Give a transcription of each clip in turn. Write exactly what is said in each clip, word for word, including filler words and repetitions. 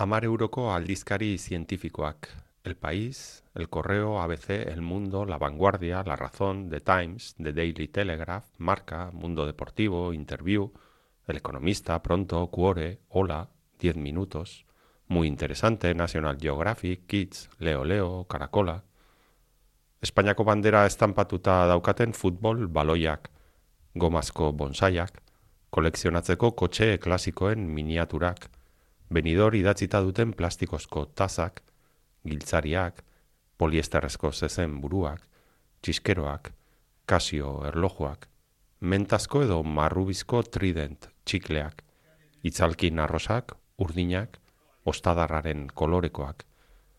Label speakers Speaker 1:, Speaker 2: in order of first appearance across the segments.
Speaker 1: Hamar euroko aldizkari zientifikoak. El País, El Correo, A B C, El Mundo, La Vanguardia, La Razón, The Times, The Daily Telegraph, Marca, Mundo Deportivo, Interview, El Economista, Pronto, Cuore, Hola, Diez Minutos, Muy Interesante, National Geographic, Kids, Leo Leo, Caracola. Espainiako bandera estampatuta daukaten futbol baloiak, gomazko bonsaiak, kolekzionatzeko kotxe klasikoen miniaturak, Benidor idatzita duten plastikozko tazak, giltzariak, poliesterrezko zezen buruak, txiskeroak, kasio erlojuak, mentazko edo marrubizko trident txikleak, itzalkin arrosak, urdinak, ostadarraren kolorekoak,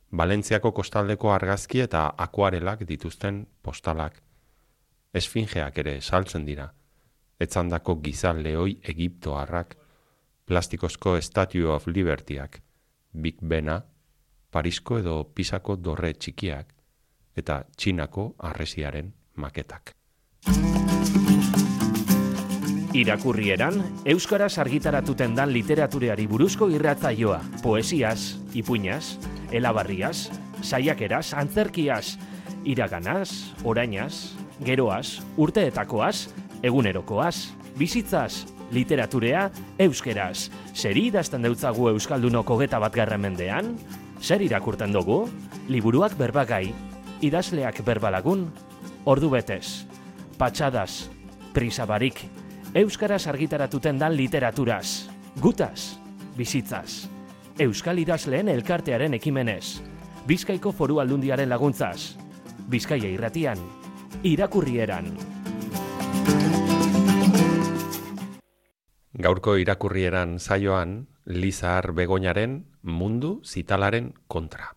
Speaker 1: Valentziako kostaldeko argazki eta akuarelak dituzten postalak, esfingeak ere saltzen dira, etzandako gizal lehoi egiptoarrak, plastikozko Statue of Libertyak, Big Bena, Parisko edo Pisako dorre txikiak, eta Txinako harresiaren maketak.
Speaker 2: Irakurrieran, euskaraz argitaratuten dan literatureari buruzko irratzaioa, poesiaz, ipuinaz, elabarriaz, saiakeraz, antzerkiaz, iraganaz, orainaz, geroaz, urteetakoaz, egunerokoaz, bizitzaz, literaturea euskeraz. Zer idazten deutzagu euskaldunok hogeta bat garren mendean? Zer irakurten dugu? Liburuak berbagai, idazleak berbalagun, ordu betez, patxadaz, prisabarik, euskaraz argitaratuten dan literaturaz, gutaz, bizitzaz, euskal idazleen elkartearen ekimenez, Bizkaiko Foru Aldundiaren laguntzaz, Bizkaia irratian, irakurrieran.
Speaker 1: Gaurko irakurrieran saioan, Lizar Begoñaren Mundu Zitalaren kontra.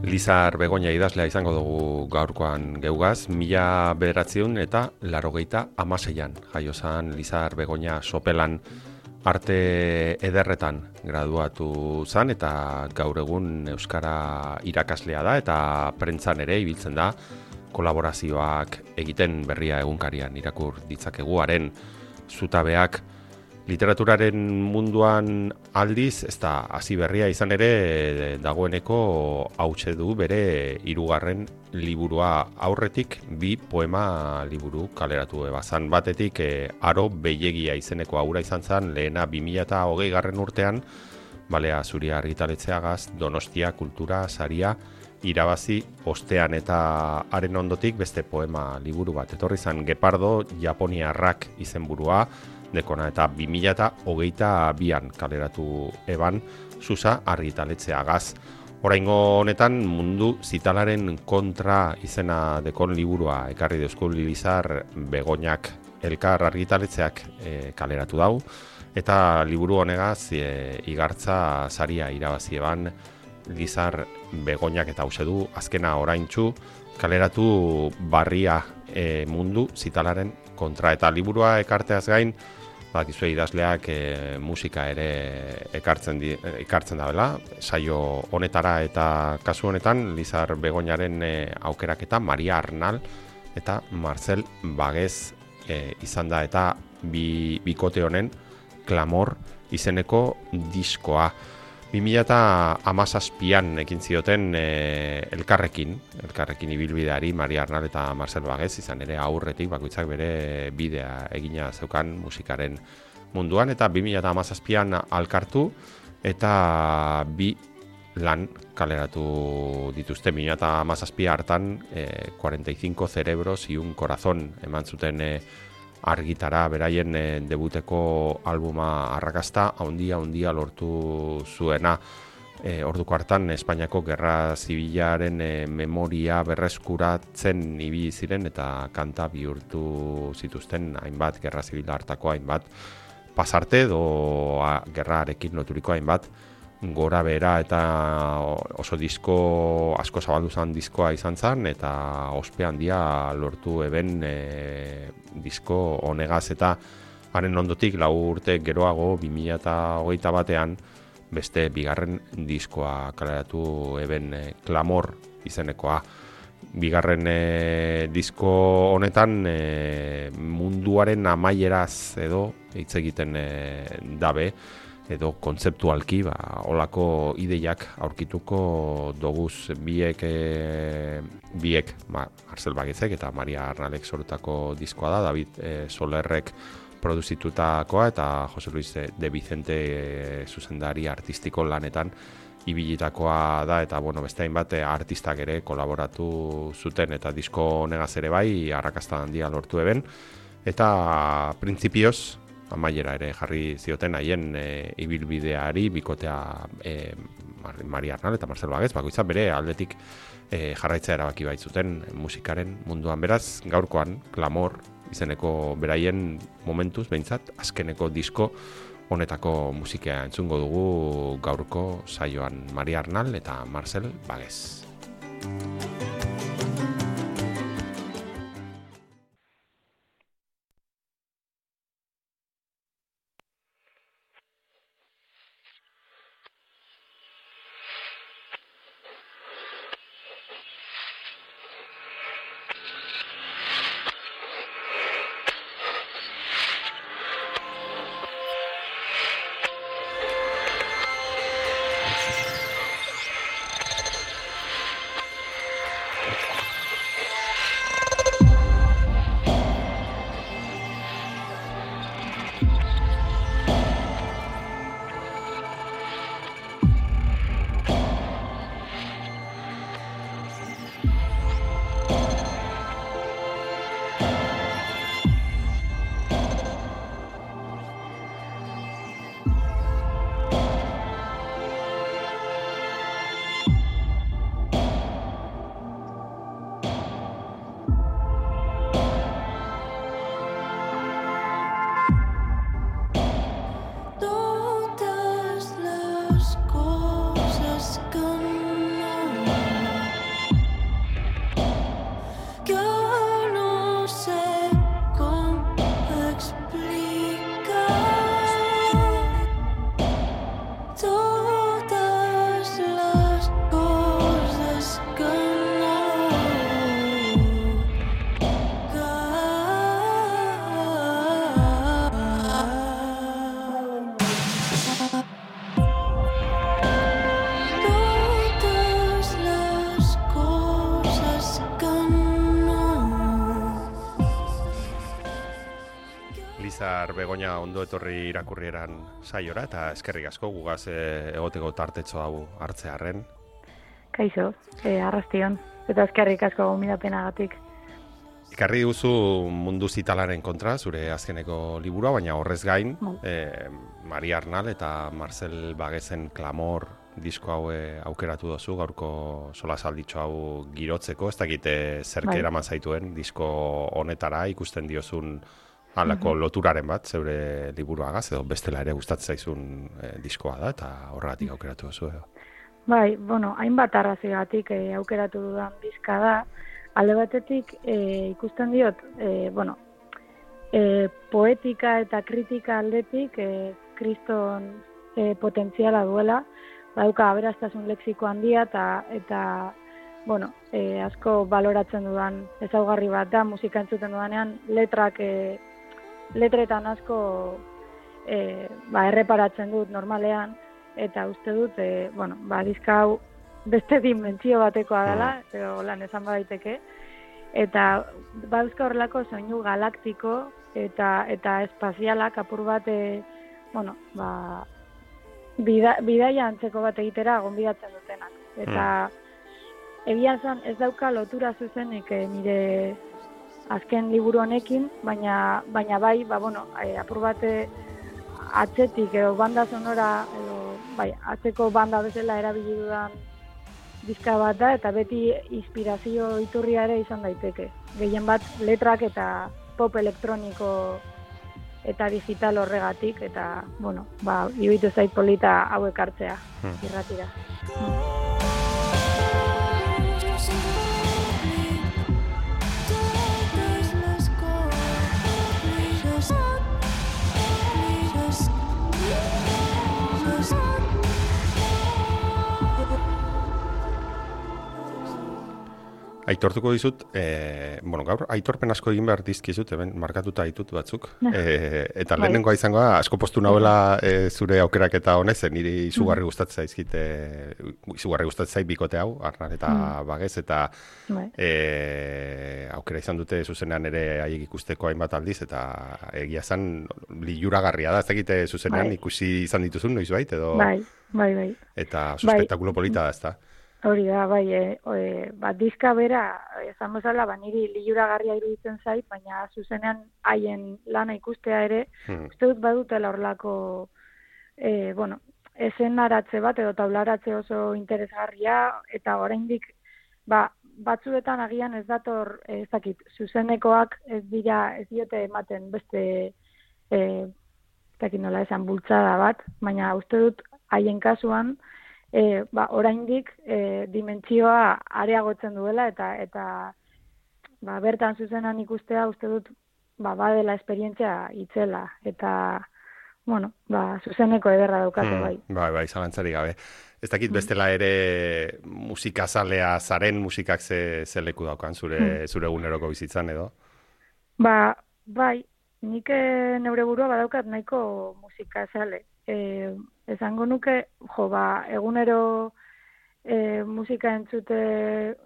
Speaker 1: Lizar Begoña idazlea izango dugu gaurkoan geugaz, mila bederatziehun eta laurogeita hamaseian jaiozan Lizar Begoña Sopelan arte ederretan graduatu zan eta gaur egun euskara irakaslea da eta prentzan ere ibiltzen da kolaborazioak egiten Berria egunkarian irakur ditzakeguaren zutabeak. Literaturaren munduan aldiz, ez da hasi berria izan ere dagoeneko hautse du bere hirugarren liburua, aurretik bi poema liburu kaleratu ebazan. Batetik e, Aro Beiegia izeneko aura izan zen lehena bi mila hogei garren urtean, Balea Zuria argitaletxeagaz Donostia Kultura Saria irabazi ostean, eta haren ondotik beste poema liburu bat etorri zen Gepardo Japoniarrak izenburua, dekona, eta bi mila hogeita bian kaleratu eban Susa argitaletxeagaz. Oraingo honetan Mundu Zitalaren kontra izena dekon liburua ekarri deuzko Lizar Begoñak elkar argitaletxeak e, kaleratu dau, eta liburu honegaz e, igartza saria irabazi eban Lizar Begoñak, eta hause du azkena oraintsu kaleratu Barria e, Mundu Zitalaren kontra, eta liburua ekarteaz gain bakizue idazleak e, musika ere ekartzen, di, ekartzen da bela, saio honetara, eta kasu honetan Lizar Begoñaren e, aukeraketa Maria Arnal eta Marcel Bagez e, izan da, eta bi, bikote honen Klamor izeneko diskoa. bi mila hamazazpian ekin zioten e, elkarrekin, elkarrekin ibilbideari Maria Arnal eta Marcel Bagez, izan ere aurretik bakoitzak bere bidea egina zeukan musikaren munduan, eta bi mila hamazazpian alkartu eta bi lan kaleratu dituzte. bi mila hamazazpi hartan e, cuarenta y cinco cerebros y un corazón eman zuten e, argitara beraien e, debuteko albuma arrakasta haundia haundia lortu zuena. E, orduko hartan Espainiako Gerra Zibilaren e, memoria berreskuratzen ibili ziren eta kanta bihurtu zituzten hainbat Gerra Zibila hartako hainbat pasarte edo a, gerrarekin loturiko hainbat gora bera eta oso disko asko zabaldu zen diskoa izan zen eta ospe handia lortu eben e, disko honegaz eta haren ondotik lau urte geroago bi mila hogeita batean beste bigarren diskoa kaleratu eben e, Clamor izenekoa. Bigarren e, disko honetan e, munduaren amaieraz edo hitz egiten e, dabe edo kontzeptualki ba, olako ideiak aurkituko doguz biek e, biek ma, Marcel Baguezek eta Maria Arnalek sortutako diskoa da, David e, Solerrek produzitutakoa eta Jose Luis de Vicente e, zuzendari artistiko lanetan ibilitakoa da eta bueno, beste hainbat artistak ere kolaboratu zuten eta disko honegaz ere bai arrakasta handia lortu eben eta printzipioz amaiera ere jarri zioten haien e, ibilbideari bikotea e, Maria Arnal eta Marcel Baguez bakoitza bere aldetik e, jarraitza erabaki baitzuten musikaren munduan. Beraz, gaurkoan Clamor izeneko beraien momentuz behintzat azkeneko disko honetako musika entzungo dugu gaurko saioan Maria Arnal eta Marcel Baguez. Begoña ondo etorri irakurrieran saiora eta eskerrik asko gugaz e, egoteko tartetxo hau hartzearren.
Speaker 3: Kaixo, e, arrastion, eta eskerrik asko gomidapenagatik.
Speaker 1: Ikarri duzu mundu zitalaren kontra, zure azkeneko liburua, baina horrez gain, e, Maria Arnal eta Marcel Baguezen Clamor disko hau e, aukeratu dozu, gaurko solasalditxo hau girotzeko, ez dakite zerke eraman zaituen disko honetara ikusten diozun halako uh-huh. loturaren bat, zeure liburuagaz, edo bestela ere gustatzen zaizun e, diskoa da, eta horregatik aukeratu duzu. Edo.
Speaker 3: Bai, bueno, hainbat arrazoigatik e, aukeratu dudan diska da, alde batetik e, ikusten diot, e, bueno, e, poetika eta kritika aldetik e, kriston e, potentziala duela, badauka aberastasun lexiko handia eta, eta bueno, e, asko baloratzen dudan ezaugarri bat da, musika entzuten dudanean, letrak e, letretan asko e, ba, erreparatzen dut normalean, eta uste dut, e, bueno, ba, diska hau beste dimentsio batekoa dela, edo lan esan badaiteke, eta ba, euska horrelako soinu galaktiko eta eta espazialak apur bat, e, bueno, ba, bida, bidaia antzeko bat egitera gonbidatzen dutenak. Eta mm. egia esan ez dauka lotura zuzenik e, nire azken liburu honekin, baina, baina bai, ba, bueno, e, apur bate atzetik edo banda sonora, edo, bai, atzeko banda bezala erabili dudan diska bat da, eta beti inspirazio iturria ere izan daiteke. Gehien bat letrak eta pop elektroniko eta digital horregatik, eta, bueno, ba, iruditu zait polita hauek hartzea, hmm. irratira. Hmm.
Speaker 1: Aitortuko dizut, e, bueno, gaur, aitorpen asko egin behar dizkizut, hemen markatuta ditut batzuk. E, eta lehenengoa izangoa, asko postu nahuela e, zure aukerak eta honez, niri izugarri gustatzen zaizkit, e, izugarri gustatzen zait bikote hau, Arnar eta mm. Bagez, eta e, aukera izan dute zuzenean ere haiek ikusteko hainbat aldiz, eta egia zan liluragarria da, ez dakite zuzenean bai. Ikusi izan dituzun, noiz bait, edo...
Speaker 3: Bai, bai, bai.
Speaker 1: Eta oso spektakulo polita da, ez da?
Speaker 3: Hori da, bai, e, e, ba, dizka bera, ezan bezala, ba, niri liluragarria iruditzen zait, baina zuzenean haien lana ikustea ere, hmm. uste dut badutela horlako, e, bueno, esenaratze bat edo taularatze oso interesgarria, eta oraindik, ba, batzuetan agian ez dator, ez dakit, zuzenekoak ez dira, ez diote ematen beste, e, ez dakit nola esan, bultzada bat, baina uste dut haien kasuan, E, ba, oraindik e, dimentsioa areagotzen duela eta eta ba, bertan zuzenan ikustea uste dut ba, badela esperientzia itzela eta bueno, ba, zuzeneko ederra daukate hmm, bai.
Speaker 1: Bai, bai, zalantzari gabe. Ez dakit bestela ere musikazalea zaren musikak ze, ze leku daukan zure, hmm. zure eguneroko bizitzan edo?
Speaker 3: Ba, bai, nik neure burua badaukat nahiko musikazale. E, esango nuke, jo, ba, egunero e, musika entzute,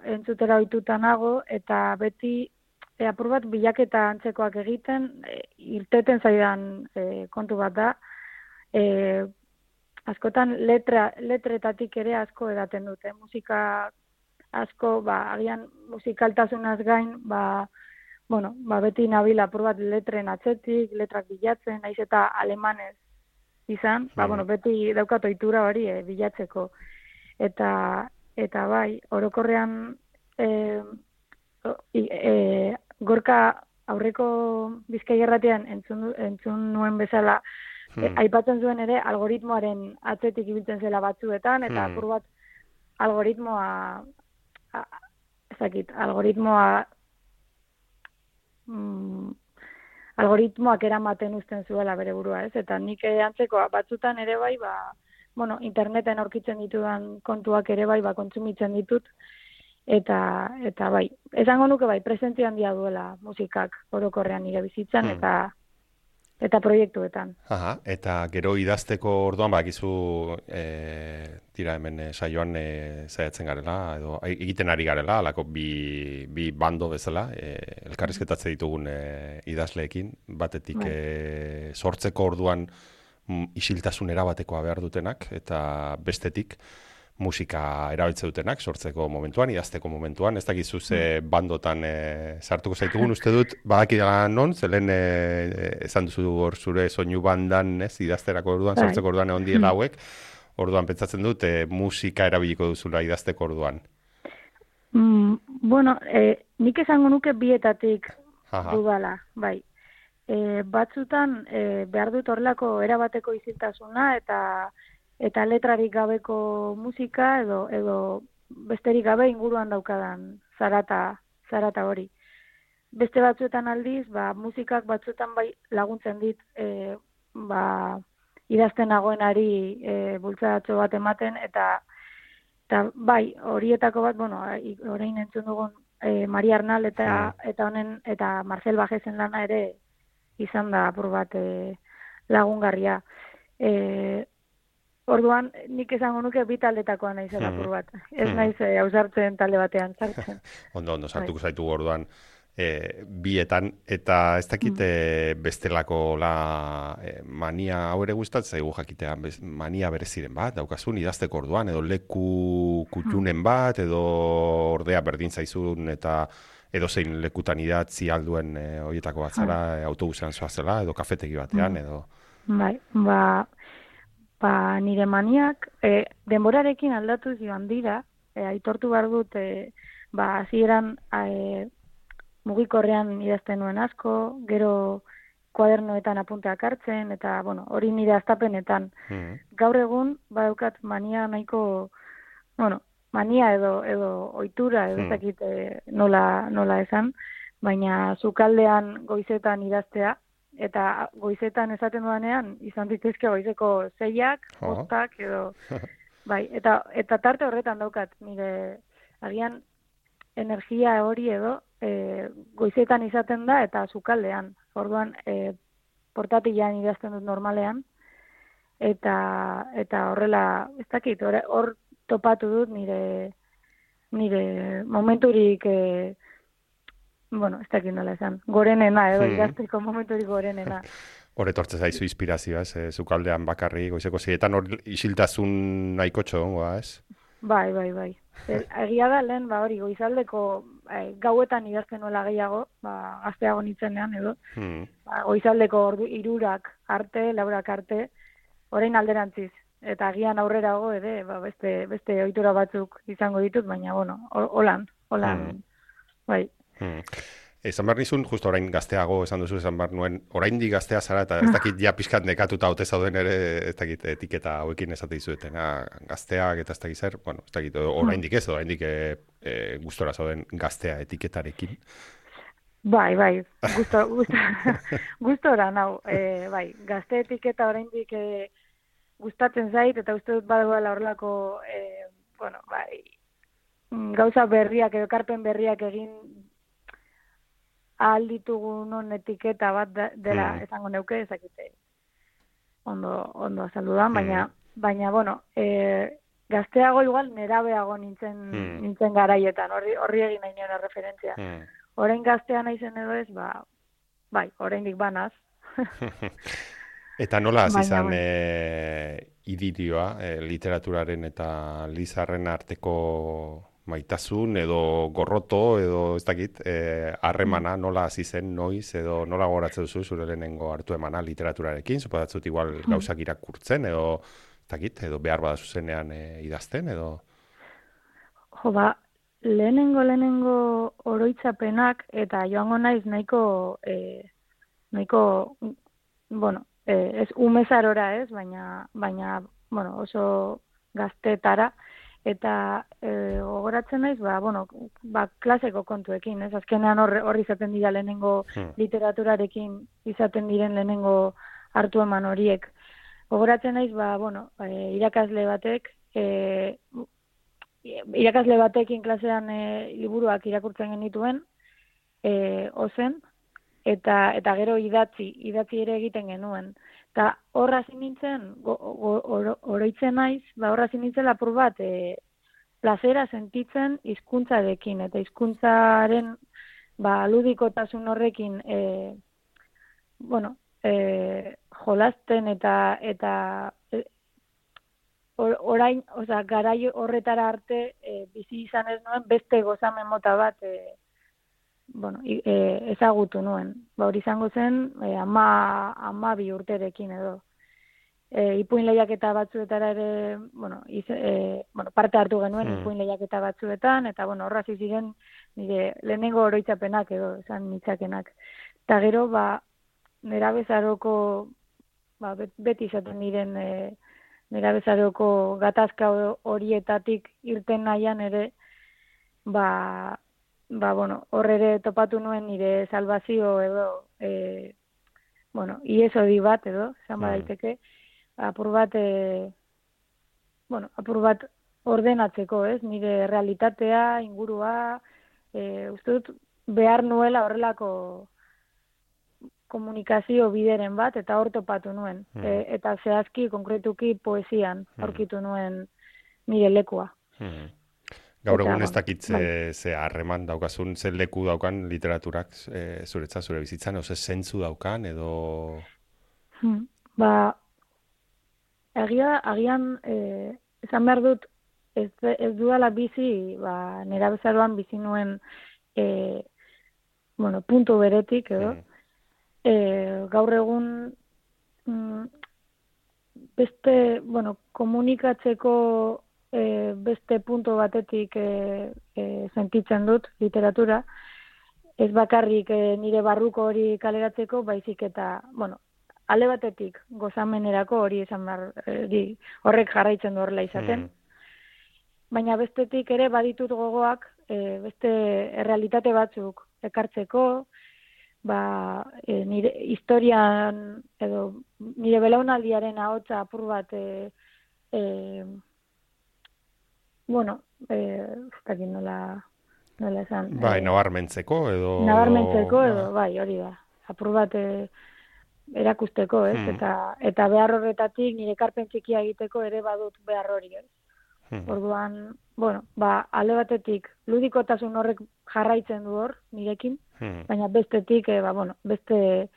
Speaker 3: entzutera ohituta nago, eta beti e, apur bat bilaketa antzekoak egiten, e, irteten zaidan e, kontu bat da, e, askotan letra, letretatik ere asko edaten dute, musika asko, ba, agian musikaltasunaz gain, ba, bueno, ba, beti nabila apur bat letren atzetik, letrak bilatzen, naiz eta alemanez, izan, ba, mm. bueno, beti daukat ohitura hori eh, bilatzeko. Eta, eta bai, orokorrean eh, eh, gorka aurreko Bizkai Irratian entzun, entzun nuen bezala, mm. eh, aipatzen zuen ere algoritmoaren atzetik ibiltzen zela batzuetan, eta apur mm. bat algoritmoa, a, ezakit, algoritmoa mm, algoritmoak eramaten uzten zuela bere burua, ez? Eta nik antzeko batzutan ere bai, ba, bueno, interneten aurkitzen ditudan kontuak ere bai, ba, kontsumitzen ditut, eta, eta bai, esango nuke bai, presentzia handia duela musikak orokorrean nire bizitzan, hmm. eta eta proiektuetan.
Speaker 1: Aha, eta gero idazteko orduan, bakizu e, tira hemen e, saioan e, zaiatzen garela, edo egiten ari garela, alako bi, bi bando bezala, e, elkarrizketatze ditugun e, idazleekin, batetik e, sortzeko orduan m, isiltasun erabatekoa behar dutenak, eta bestetik musika erabiltze dutenak, sortzeko momentuan, idazteko momentuan, ez dakizu ze bandotan e, sartuko zaitugun, uste dut, badakidala non, zelen e, esan duzu hor zure soinu bandan, ez, idazterako orduan, sortzeko orduan egon diela hauek, orduan pentsatzen dut, e, musika erabiliko duzula idazteko orduan.
Speaker 3: Mm, bueno, e, nik esango nuke bietatik dudala, bai. E, batzutan, e, behar dut horrelako erabateko isiltasuna, eta eta letrarik gabeko musika edo edo besterik gabe inguruan daukadan zarata zarata hori. Beste batzuetan aldiz, ba, musikak batzuetan bai laguntzen dit e, ba, idazten nagoenari e, bultzadatxo bat ematen, eta, eta bai, horietako bat, bueno, orain entzun dugun e, Maria Arnal eta, mm. eta honen eta Marcel Bajezen lana ere izan da apur bat e, lagungarria. E, Orduan, nik esango nuke bi taldetakoa naizela apur bat. Ez naiz e, ausartzen talde batean sartzen.
Speaker 1: Ondo, ondo, sartuko zaitu orduan e, bietan, eta ez dakite mm. bestelako la, e, mania hau ere gustatzen zaigu jakitea, bez, mania bereziren bat, daukazun idazteko orduan, edo leku kutxunen bat, edo ordea berdin zaizun, eta edo zein lekutan idatzi alduen e, horietako bat zara, e, autobusean zoazela, edo kafetegi batean, edo...
Speaker 3: Bai, ba... Ba, nire maniak, e, denborarekin aldatu joan dira, e, aitortu behar dut, e, ba, hasieran e, mugikorrean idazten nuen asko, gero kuadernoetan apunteak hartzen, eta, bueno, hori nire astapenetan.
Speaker 1: Mm.
Speaker 3: Gaur egun, badaukat mania nahiko, bueno, mania edo edo ohitura edo ez dakit eh, nola, nola esan, baina sukaldean goizetan idaztea, eta goizetan esaten dudanean, izan dituzke goizeko zeiak,
Speaker 1: Oh.
Speaker 3: bostak edo, bai, eta, eta tarte horretan daukat, nire, agian, energia hori edo, e, goizetan izaten da, eta sukaldean, orduan, e, portatilean idazten dut normalean, eta, eta horrela, ez dakit, hor, hor topatu dut nire, nire momenturik, e, bueno, ez dakit nola esan, gorenena, edo
Speaker 1: Hmm.
Speaker 3: idazteko momenturik gorenena.
Speaker 1: Hor etortze zaizu inspirazioa, ez? E, zukaldean bakarri, goizeko zietan hor isiltasun nahikotxo gongoa, ez?
Speaker 3: Bai, bai, bai. E, egia da lehen, ba hori, goizaldeko e, gauetan idazten nola gehiago, ba, gazteago nintzenean edo,
Speaker 1: Hmm.
Speaker 3: ba, goizaldeko ordu irurak arte, laurak arte, orain alderantziz. Eta agian aurrerago ere, ba, beste, beste ohitura batzuk izango ditut, baina, bueno, ho- holan, holan,
Speaker 1: Hmm.
Speaker 3: bai.
Speaker 1: Hmm. Esan behar nizun, justo orain gazteago esan duzu, esan behar nuen, oraindik gaztea zara, eta ez dakit ja pixkat nekatuta ote zauden ere, ez dakit etiketa hauekin esate dizuetena, gazteak eta ez dakit zer, bueno, ez dakit, oraindik ez, oraindik e, e, gustora zauden gaztea etiketarekin.
Speaker 3: Bai, bai, gusto, gusto, gustora nau, e, bai, gazte etiketa oraindik e, gustatzen zait, eta uste dut badagoela horrelako, e, bueno, bai, mm, gauza berriak edo ekarpen berriak egin ahal ditugunon etiketa bat da- dela
Speaker 1: Mm.
Speaker 3: esango neuke, ezakite ondo, ondo azaldu da, baina,
Speaker 1: Mm.
Speaker 3: baina, bueno, e, gazteago igual nerabeago nintzen,
Speaker 1: Mm.
Speaker 3: nintzen garaietan, horri, horri egin nahi nion referentzia.
Speaker 1: Hmm.
Speaker 3: Orain gaztea naizen edo ez, ba, bai, oraindik banaz.
Speaker 1: Eta nola hasi
Speaker 3: Baina,
Speaker 1: izan
Speaker 3: bueno.
Speaker 1: e, idilioa, e, literaturaren eta Lizarren arteko maitasun edo gorroto edo ez dakit, e, harremana nola hasi zen, noiz edo nola goratzen duzu zure lehenengo hartu emana literaturarekin, suposatzut igual gauzak irakurtzen edo ez dakit, edo behar bada zuzenean e, idazten edo...
Speaker 3: Jo, ba, lehenengo lehenengo oroitzapenak eta joango naiz nahiko e, nahiko bueno, e, ez umezarora ez, baina baina bueno, oso gaztetara eta e, gogoratzen naiz, ba, bueno, ba, klaseko kontuekin, ez? Azkenean horri hor izaten dira lehenengo
Speaker 1: Hmm.
Speaker 3: literaturarekin izaten diren lehenengo hartu eman horiek. Gogoratzen naiz, ba, bueno, e, irakasle batek e, irakasle batekin klasean e, liburuak irakurtzen genituen, e, ozen, eta eta gero idatzi, idatzi ere egiten genuen. Eta horra hasi nintzen, go, go, oro, oroitzen naiz, ba horra hasi nintzen lapur bat, e, plazera sentitzen hizkuntzarekin, eta hizkuntzaren ba, ludikotasun horrekin, e, bueno, e, jolasten eta eta e, or- orain, osea, garai horretara arte e, bizi izan ez nuen beste gozamen mota bat e, bueno, i- e, ezagutu nuen. Ba, hori izango zen e, ama, ama bi urterekin edo. E, ipuin lehiaketa batzuetara ere, bueno, iz, e, bueno, parte hartu genuen
Speaker 1: Hmm.
Speaker 3: ipuin lehiaketa batzuetan, eta bueno, horra hasi ziren nire lehenengo oroitzapenak edo, esan nitzakenak. Eta gero, ba, nerabezaroko, ba, bet- beti izaten diren e, nerabezaroko gatazka ho- horietatik irten nahian ere, ba, ba, bueno, hor ere topatu nuen nire salvazio edo, e, bueno, iesodi bat edo, esan
Speaker 1: Mm.
Speaker 3: badaiteke, apur bat, e, bueno, apur bat ordenatzeko, ez? Nire realitatea, ingurua, e, uste dut behar nuela horrelako komunikazio bideren bat, eta hor topatu nuen.
Speaker 1: Mm.
Speaker 3: E, eta zehazki, konkretuki, poesian
Speaker 1: Mm.
Speaker 3: aurkitu nuen nire lekua.
Speaker 1: Hmm. Gaur
Speaker 3: Eta,
Speaker 1: egun ez
Speaker 3: bueno,
Speaker 1: dakit ze,
Speaker 3: bai.
Speaker 1: ze harreman daukazun, ze leku daukan literaturak e, zuretzat, zure bizitzan, edo ze zentzu daukan, edo...
Speaker 3: Hmm. Ba, agia, agian, e, esan behar dut, ez, ez dudala bizi, ba, nerabezaroan bizi nuen, e, bueno, puntu beretik, edo,
Speaker 1: Hmm.
Speaker 3: e, gaur egun, mm, beste, bueno, komunikatzeko e, beste puntu batetik e, e, sentitzen dut literatura, ez bakarrik e, nire barruko hori kaleratzeko, baizik eta, bueno, alde batetik gozamenerako hori esan behar, hori, horrek jarraitzen du horrela izaten. Mm. Baina bestetik ere baditut gogoak, e, beste errealitate batzuk ekartzeko, ba, e, nire historian edo nire belaunaldiaren ahotsa apur bat e, e, bueno, eh, ez nola, nola esan.
Speaker 1: Bai,
Speaker 3: e,
Speaker 1: nabarmentzeko edo...
Speaker 3: Nabarmentzeko edo, bai, hori da. Apur bat e, erakusteko, ez? Hmm. Eta, eta behar horretatik nire ekarpen txikia egiteko ere badut behar hori, ez? Hmm. Orduan, bueno, ba, alde batetik ludikotasun horrek jarraitzen du hor, nirekin, hmm. baina bestetik, e, ba, bueno, beste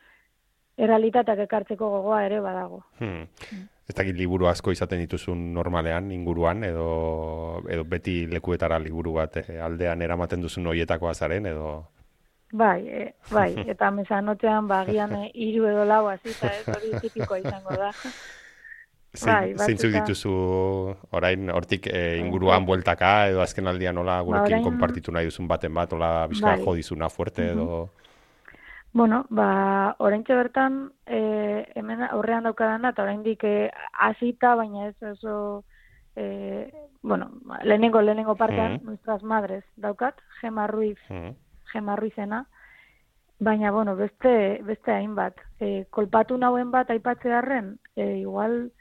Speaker 3: errealitateak ekartzeko gogoa ere badago.
Speaker 1: Hmm. Hmm. Ez dakit liburu asko izaten dituzun normalean, inguruan, edo, edo beti lekuetara liburu bat eh, aldean eramaten duzun horietakoa zaren, edo...
Speaker 3: Bai, e, bai, eta mesanotzean bagian e, hiru edo lau azita, ez hori tipikoa izango da.
Speaker 1: Zein, bai, zeintzuk dituzu orain hortik e, inguruan bueltaka, edo azken aldian nola gurekin ba, konpartitu nahi duzun baten bat, nola bizka bai. Jo dizuna fuerte, edo... Uh-huh.
Speaker 3: Bueno, ba, oraintxe bertan, eh, hemen aurrean daukadana, eta oraindik hasita, baina ez oso, eh, bueno, lehenengo, lehenengo partean, mm. Nuestras Madres daukat, Gema Ruiz, mm. Gema Ruizena, baina, bueno, beste, beste hainbat. Eh, kolpatu nauen bat aipatzearren, eh, igual,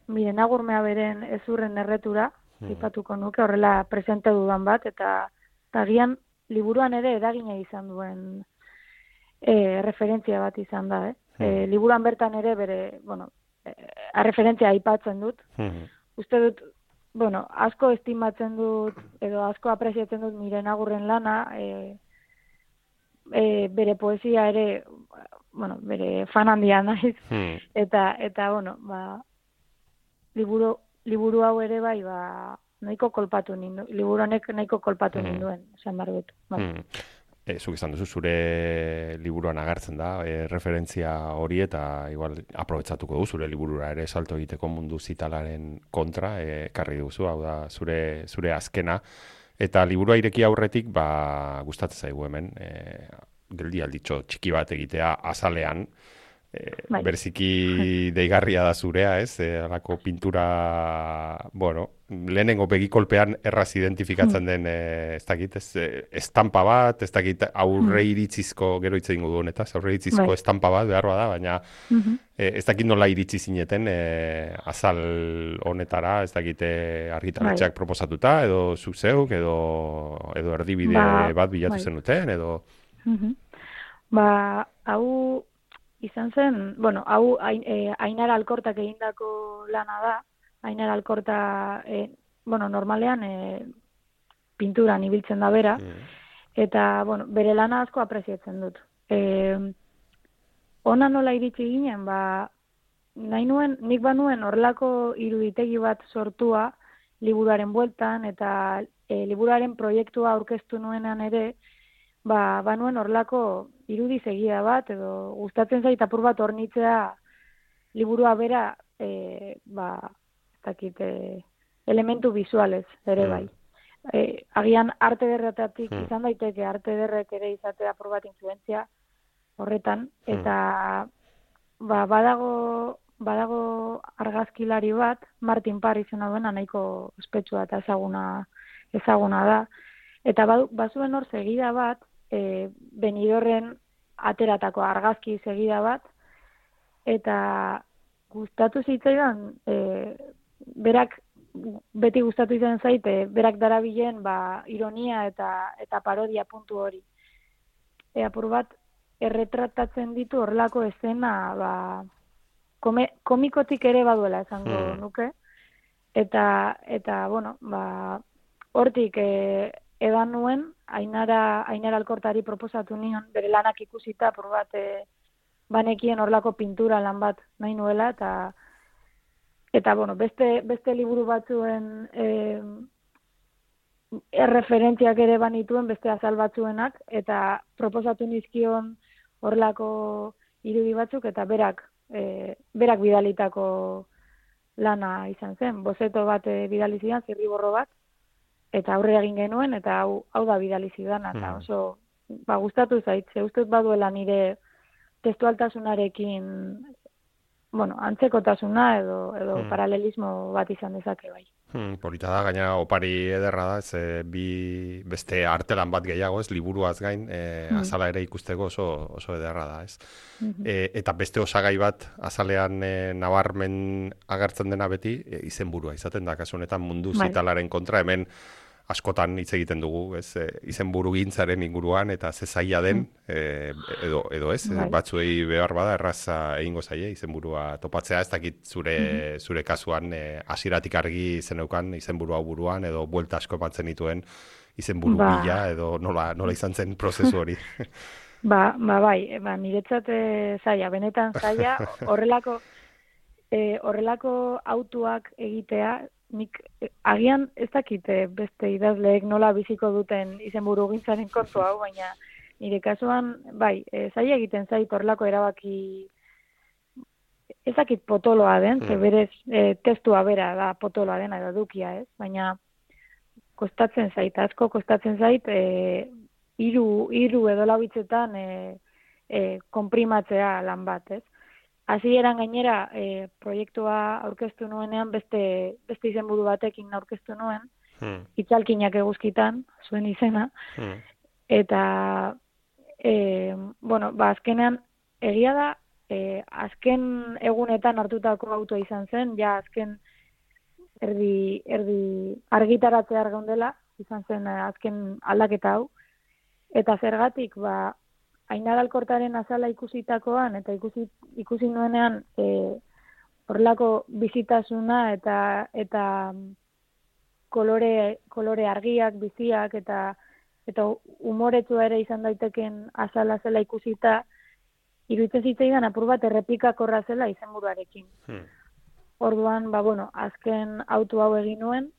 Speaker 3: miren agurmea beren ezurren erretura, mm. aipatuko nuke, horrela presente dudan bat, eta tagian, liburuan ere eragina izan duen, E, referentzia bat izan da, eh? Hmm. E, liburuan bertan ere bere, bueno, e, referentzia aipatzen dut. Hmm. Uste dut, bueno, asko estimatzen dut, edo asko apreziatzen dut Miren Agurren lana, e, e, bere poesia ere, bueno, bere fan handia naiz, hmm. eta, eta, bueno, ba, liburu, liburu hau ere bai, ba, nahiko kolpatu nindu, liburu honek nahiko kolpatu hmm. ninduen, esan behar dut, bai. Hmm.
Speaker 1: E, zuk izan duzu, zure liburuan agertzen da, e, referentzia hori eta igual aprobetsatuko du, zure liburura ere salto egiteko mundu zitalaren kontra, e, karri duzu, hau da, zure, zure azkena. Eta liburua ireki aurretik, ba, gustatzen zaigu hemen, e, geldi alditxo txiki bat egitea azalean, e, berziki deigarria da zurea, ez? E, alako pintura, bueno, lehenengo begikolpean erraz identifikatzen den, e, ez dakit, ez, estampa bat, ez dakit aurre iritzizko, gero hitz egingo du honetaz, aurre iritzizko bai. Estampa bat, beharroa da, baina uh-huh. e, ez dakit nola iritsi zineten e, azal honetara, ez dakit argitaratxeak bai. Proposatuta, edo zuk zeuk, edo, edo erdibide ba, bat bilatu bai. Zenuten, edo...
Speaker 3: Uh-huh. Ba, hau... Izan zen, bueno, hau e, Ainara Alkortak egindako lana da. Ainara Alkorta, e, bueno, normalean e, pinturan ibiltzen da bera, mm. eta, bueno, bere lana asko apreziatzen dut. E, ona nola iritsi ginen, ba, nahi nuen, nik banuen horrelako iruditegi bat sortua liburuaren bueltan, eta e, liburuaren proiektua aurkeztu nuenan ere, ba, banuen horrelako irudi segia bat, edo gustatzen zait apur bat hornitzea liburua bera, e, ba, ez dakit, e, elementu visualez ere bai. Mm. E, agian arte derretatik mm. izan daiteke, arte derrek ere izatea apur bat influentzia horretan, mm. eta ba, badago, badago argazkilari bat, Martin Parr izena duena, nahiko ospetsua eta ezaguna, ezaguna da, eta bazuen hor segida bat, E, Benidorren ateratako argazki segida bat, eta gustatu zitzaidan, e, berak, beti gustatu izan zaite, berak darabilen ba, ironia eta eta parodia puntu hori. E, apur bat, erretratatzen ditu horrelako esena, ba, kome, komikotik ere baduela esango hmm. nuke, eta, eta bueno, ba, hortik, e, edan nuen, Ainara, Ainara Alkortari proposatu nion, bere lanak ikusita, por bat, e, banekien horlako pintura lan bat nahi nuela, eta, eta bueno, beste, beste liburu batzuen e, erreferentziak ere banituen, beste azal batzuenak, eta proposatu nizkion horlako irudi batzuk, eta berak, e, berak bidalitako lana izan zen. Bozeto bat e, bidali zidan, zirriborro bat, eta aurrera egin genuen, eta hau, hau da bidali zidan, eta oso ba, gustatu zait, ze ustez baduela nire testualtasunarekin, bueno, antzekotasuna edo, edo
Speaker 1: Hmm.
Speaker 3: paralelismo bat izan dezake bai.
Speaker 1: Hmm, polita da, gaina opari ederra da, ez, e, bi beste artelan bat gehiago, ez, liburuaz gain, e,
Speaker 3: Hmm.
Speaker 1: azala ere ikusteko oso, oso ederra da, ez.
Speaker 3: Mhm.
Speaker 1: E, eta beste osagai bat azalean e, nabarmen agertzen dena beti, e, izenburua izaten da, kasu honetan mundu
Speaker 3: Bai.
Speaker 1: zitalaren kontra, hemen askotan hitz egiten dugu, ez, e, izenburugintzaren inguruan eta ze zaila den, e, edo, edo ez,
Speaker 3: Bai.
Speaker 1: batzuei behar bada erraza egingo zaie izenburua topatzea, ez dakit zure, zure kasuan e, hasieratik argi zeneukan izenburua hau buruan, edo buelta asko ematzen dituen izenburu
Speaker 3: Ba.
Speaker 1: bila, edo nola, nola izan zen prozesu hori.
Speaker 3: Ba, ba bai, e, ba, niretzat e, zaila, benetan zaila, horrelako e, horrelako autuak egitea, nik e, agian ez dakit e, beste idazleek nola biziko duten izenburu gintzaren kontu hau, baina nire kasuan, bai, e, zaila egiten zait horrelako erabaki ez dakit potoloa den, ze berez e, testua bera da potoloa dena edo edukia, ez? Baina kostatzen zait, asko kostatzen zait, e, hiru hiru edo lau hitzetan e, e, konprimatzea lan bat, ez? Hasieran gainera e, proiektua aurkeztu nuenean beste beste izenburu batekin aurkeztu nuen,
Speaker 1: Hmm.
Speaker 3: itzalkinak eguzkitan, zuen izena,
Speaker 1: Hmm.
Speaker 3: eta e, bueno, ba azkenean egia da e, azken egunetan hartutako autoa izan zen, ja azken erdi erdi argitaratzea geundela, izan zen eh, azken aldaketa hau. Eta zergatik, ba, Ainara Alkortaren azala ikusitakoan, eta ikusi, ikusi nuenean e, horrelako bizitasuna eta eta kolore, kolore argiak, biziak, eta eta umoretsua ere izan daiteken azala zela ikusita, iruditzen zitzaidan apur bat errepikakorra zela izenburuarekin.
Speaker 1: Hmm.
Speaker 3: Orduan, ba, bueno, azken auto hau egin nuen,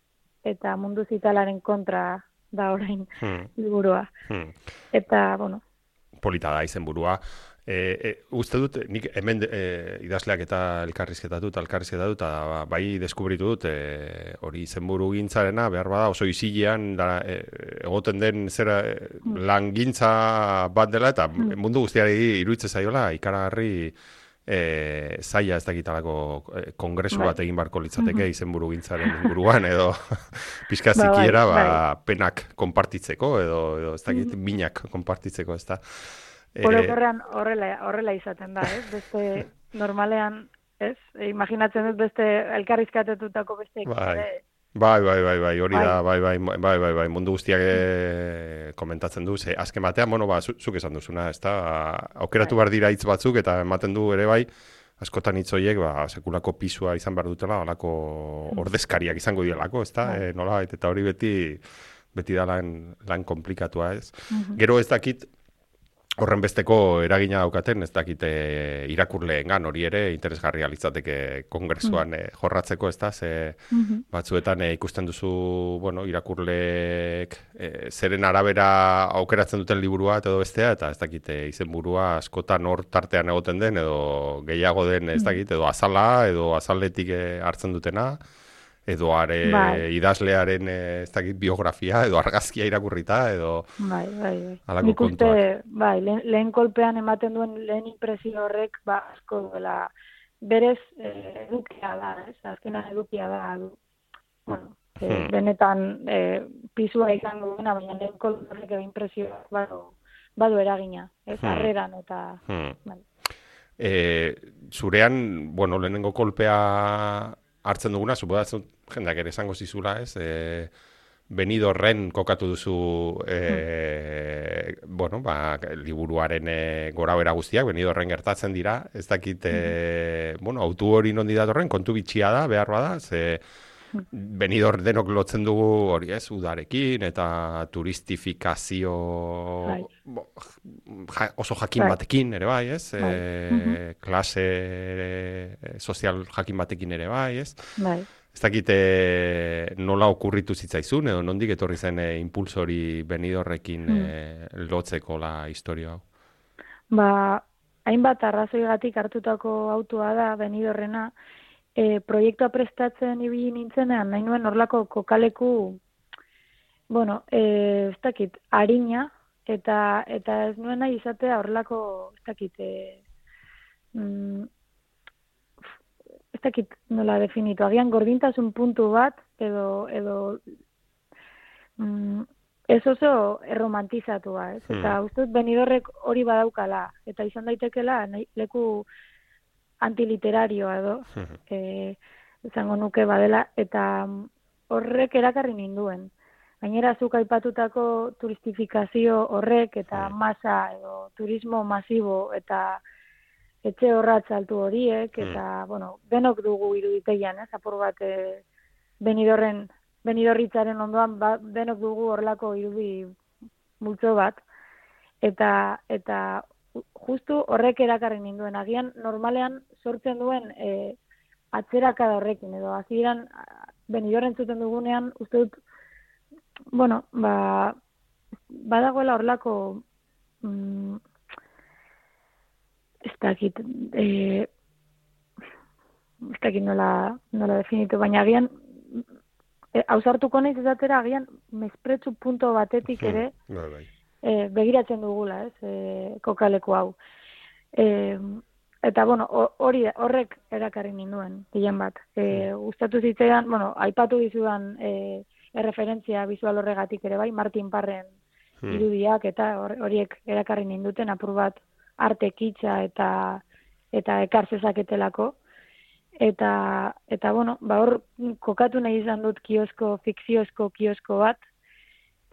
Speaker 3: eta mundu zitalaren kontra da orain
Speaker 1: Hmm.
Speaker 3: liburua.
Speaker 1: Hmm.
Speaker 3: Eta, bueno,
Speaker 1: Polita da izenburua. E, e, uste dut, nik hemen e, idazleak eta elkarrizketatu eta elkarrizketatu eta bai deskubritu dut e, hori izenburu gintzarena, behar bada oso izilean da, e, egoten den zera e, lan gintza bat dela eta mundu guztiari iruditzen zaiola ikaragarri e, zaila ez dakitalako e, kongresu
Speaker 3: Bai.
Speaker 1: bat egin barko litzateke izenburu gintzaren inguruan edo pixka
Speaker 3: Ba, bai,
Speaker 1: zikiera ba,
Speaker 3: bai.
Speaker 1: penak konpartitzeko edo, edo ez dakit minak konpartitzeko ez da. Eh,
Speaker 3: orokorrean horrela, horrela izaten da, ez? Beste normalean, ez? E, imaginatzen dut beste elkarrizkatetutako beste
Speaker 1: Bai.
Speaker 3: ere.
Speaker 1: Bai, bai, bai, bai, hori
Speaker 3: Bai.
Speaker 1: da, bai, bai, bai, bai, bai, mundu guztiak eh, komentatzen du, ze azken batean, bueno, ba, zu- zuk esan duzuna, ez da, aukeratu behar dira hitz batzuk, eta ematen du ere bai, askotan hitz horiek, ba, sekulako pisua izan behar dutela, halako ordezkariak izango dielako, ez da,
Speaker 3: Bai.
Speaker 1: e, nola, eta hori beti, beti da lan, lan komplikatua, ez.
Speaker 3: Mhm.
Speaker 1: Gero ez dakit, horren besteko eragina daukaten, ez dakite irakurleengan hori ere interesgarria litzateke kongresuan eh, jorratzeko, ez da, ze
Speaker 3: Mhm.
Speaker 1: batzuetan eh, ikusten duzu, bueno, irakurleek eh, zeren arabera aukeratzen duten liburua eta edo bestea, eta ez dakite izenburua askotan hor tartean egoten den, edo gehiago den, ez dakit, edo azala, edo azaletik eh, hartzen dutena, edo are
Speaker 3: Bai.
Speaker 1: idazlearen eh, ez dakit biografia, edo argazkia irakurrita, edo
Speaker 3: Bai, bai, bai.
Speaker 1: halako
Speaker 3: Nik uste,
Speaker 1: kontuak.
Speaker 3: bai, lehen, lehen kolpean ematen duen lehen impresio horrek, ba, asko duela, berez eh, edukia da, ez? Azkenan edukia da, du. Bueno, eh,
Speaker 1: Hmm.
Speaker 3: benetan eh, pisua izango duena, baina lehen kolpe horrek edo impresioak badu, badu eragina, ez?
Speaker 1: Hmm.
Speaker 3: Harreran eta,
Speaker 1: Hmm.
Speaker 3: bai.
Speaker 1: E, zurean, bueno, lehenengo kolpea hartzen duguna, suposatzen jendeak ere esango zizula, ez? E, Benidorren kokatu duzu e, bueno, ba, liburuaren e, gorabera guztiak, Benidorren gertatzen dira, ez dakit, e, bueno, autu hori nondi datorren, kontu bitxia da, behar bada, ze Benidorm denok lotzen dugu hori ez, udarekin, eta turistifikazio
Speaker 3: Bai.
Speaker 1: bo, ja, oso jakin
Speaker 3: Bai.
Speaker 1: batekin ere bai, ez?
Speaker 3: Bai.
Speaker 1: E, klase e, sozial jakin batekin ere bai, ez?
Speaker 3: Bai.
Speaker 1: Ez dakit e, nola okurritu zitzaizun, edo nondik etorri zen e, impulso hori Benidorrekin e, lotzeko la historia hau?
Speaker 3: Ba, hainbat arrazoigatik hartutako autua da Benidorrena, e, proiektua prestatzen ibili nintzenean, nahi nuen horlako kokaleku, bueno, e, ez dakit, arina, eta eta ez nuen nahi izatea horrelako, ez dakit, e, mm, ez dakit nola definitu, agian gordintasun puntu bat, edo, edo mm, ez oso erromantizatua, ez? Eta
Speaker 1: Hmm.
Speaker 3: uste dut Benidorrek hori badaukala, eta izan daitekela nahi- leku antiliterarioa edo,
Speaker 1: Mhm.
Speaker 3: e, izango nuke badela, eta mm, horrek erakarri ninduen. Gainera, zuk aipatutako turistifikazio horrek eta
Speaker 1: Hmm.
Speaker 3: masa edo turismo masibo eta etxe horratz altu horiek,
Speaker 1: Hmm.
Speaker 3: eta, bueno, denok dugu iruditegian, ez, apur bat e, Benidorren, Benidorritzaren ondoan, ba, denok dugu horlako irudi multzo bat, eta eta justu horrek erakarri ninduen. Agian, normalean sortzen duen e, atzerakada horrekin, edo hasieran Benidorren zuten dugunean, uste dut, bueno, ba, badagoela horlako, mm, ez dakit, e, ez dakit nola, nola definitu, baina agian, e, ausartuko naiz ezatera, agian, mespretsu punto batetik ere,
Speaker 1: Bai, bai.
Speaker 3: e, begiratzen dugula, ez, e, kokaleku hau. E, eta, bueno, hori horrek erakarri ninduen, gehien bat. E, gustatu zitzaidan, bueno, aipatu dizudan e, erreferentzia bizual horregatik ere bai, Martin Parren
Speaker 1: Hmm.
Speaker 3: irudiak, eta hor- horiek erakarri ninduten, apur bat arte kitza eta eta ekar zezaketelako. Eta, eta bueno, ba hor kokatu nahi izan dut kiosko, fikziozko kiosko bat.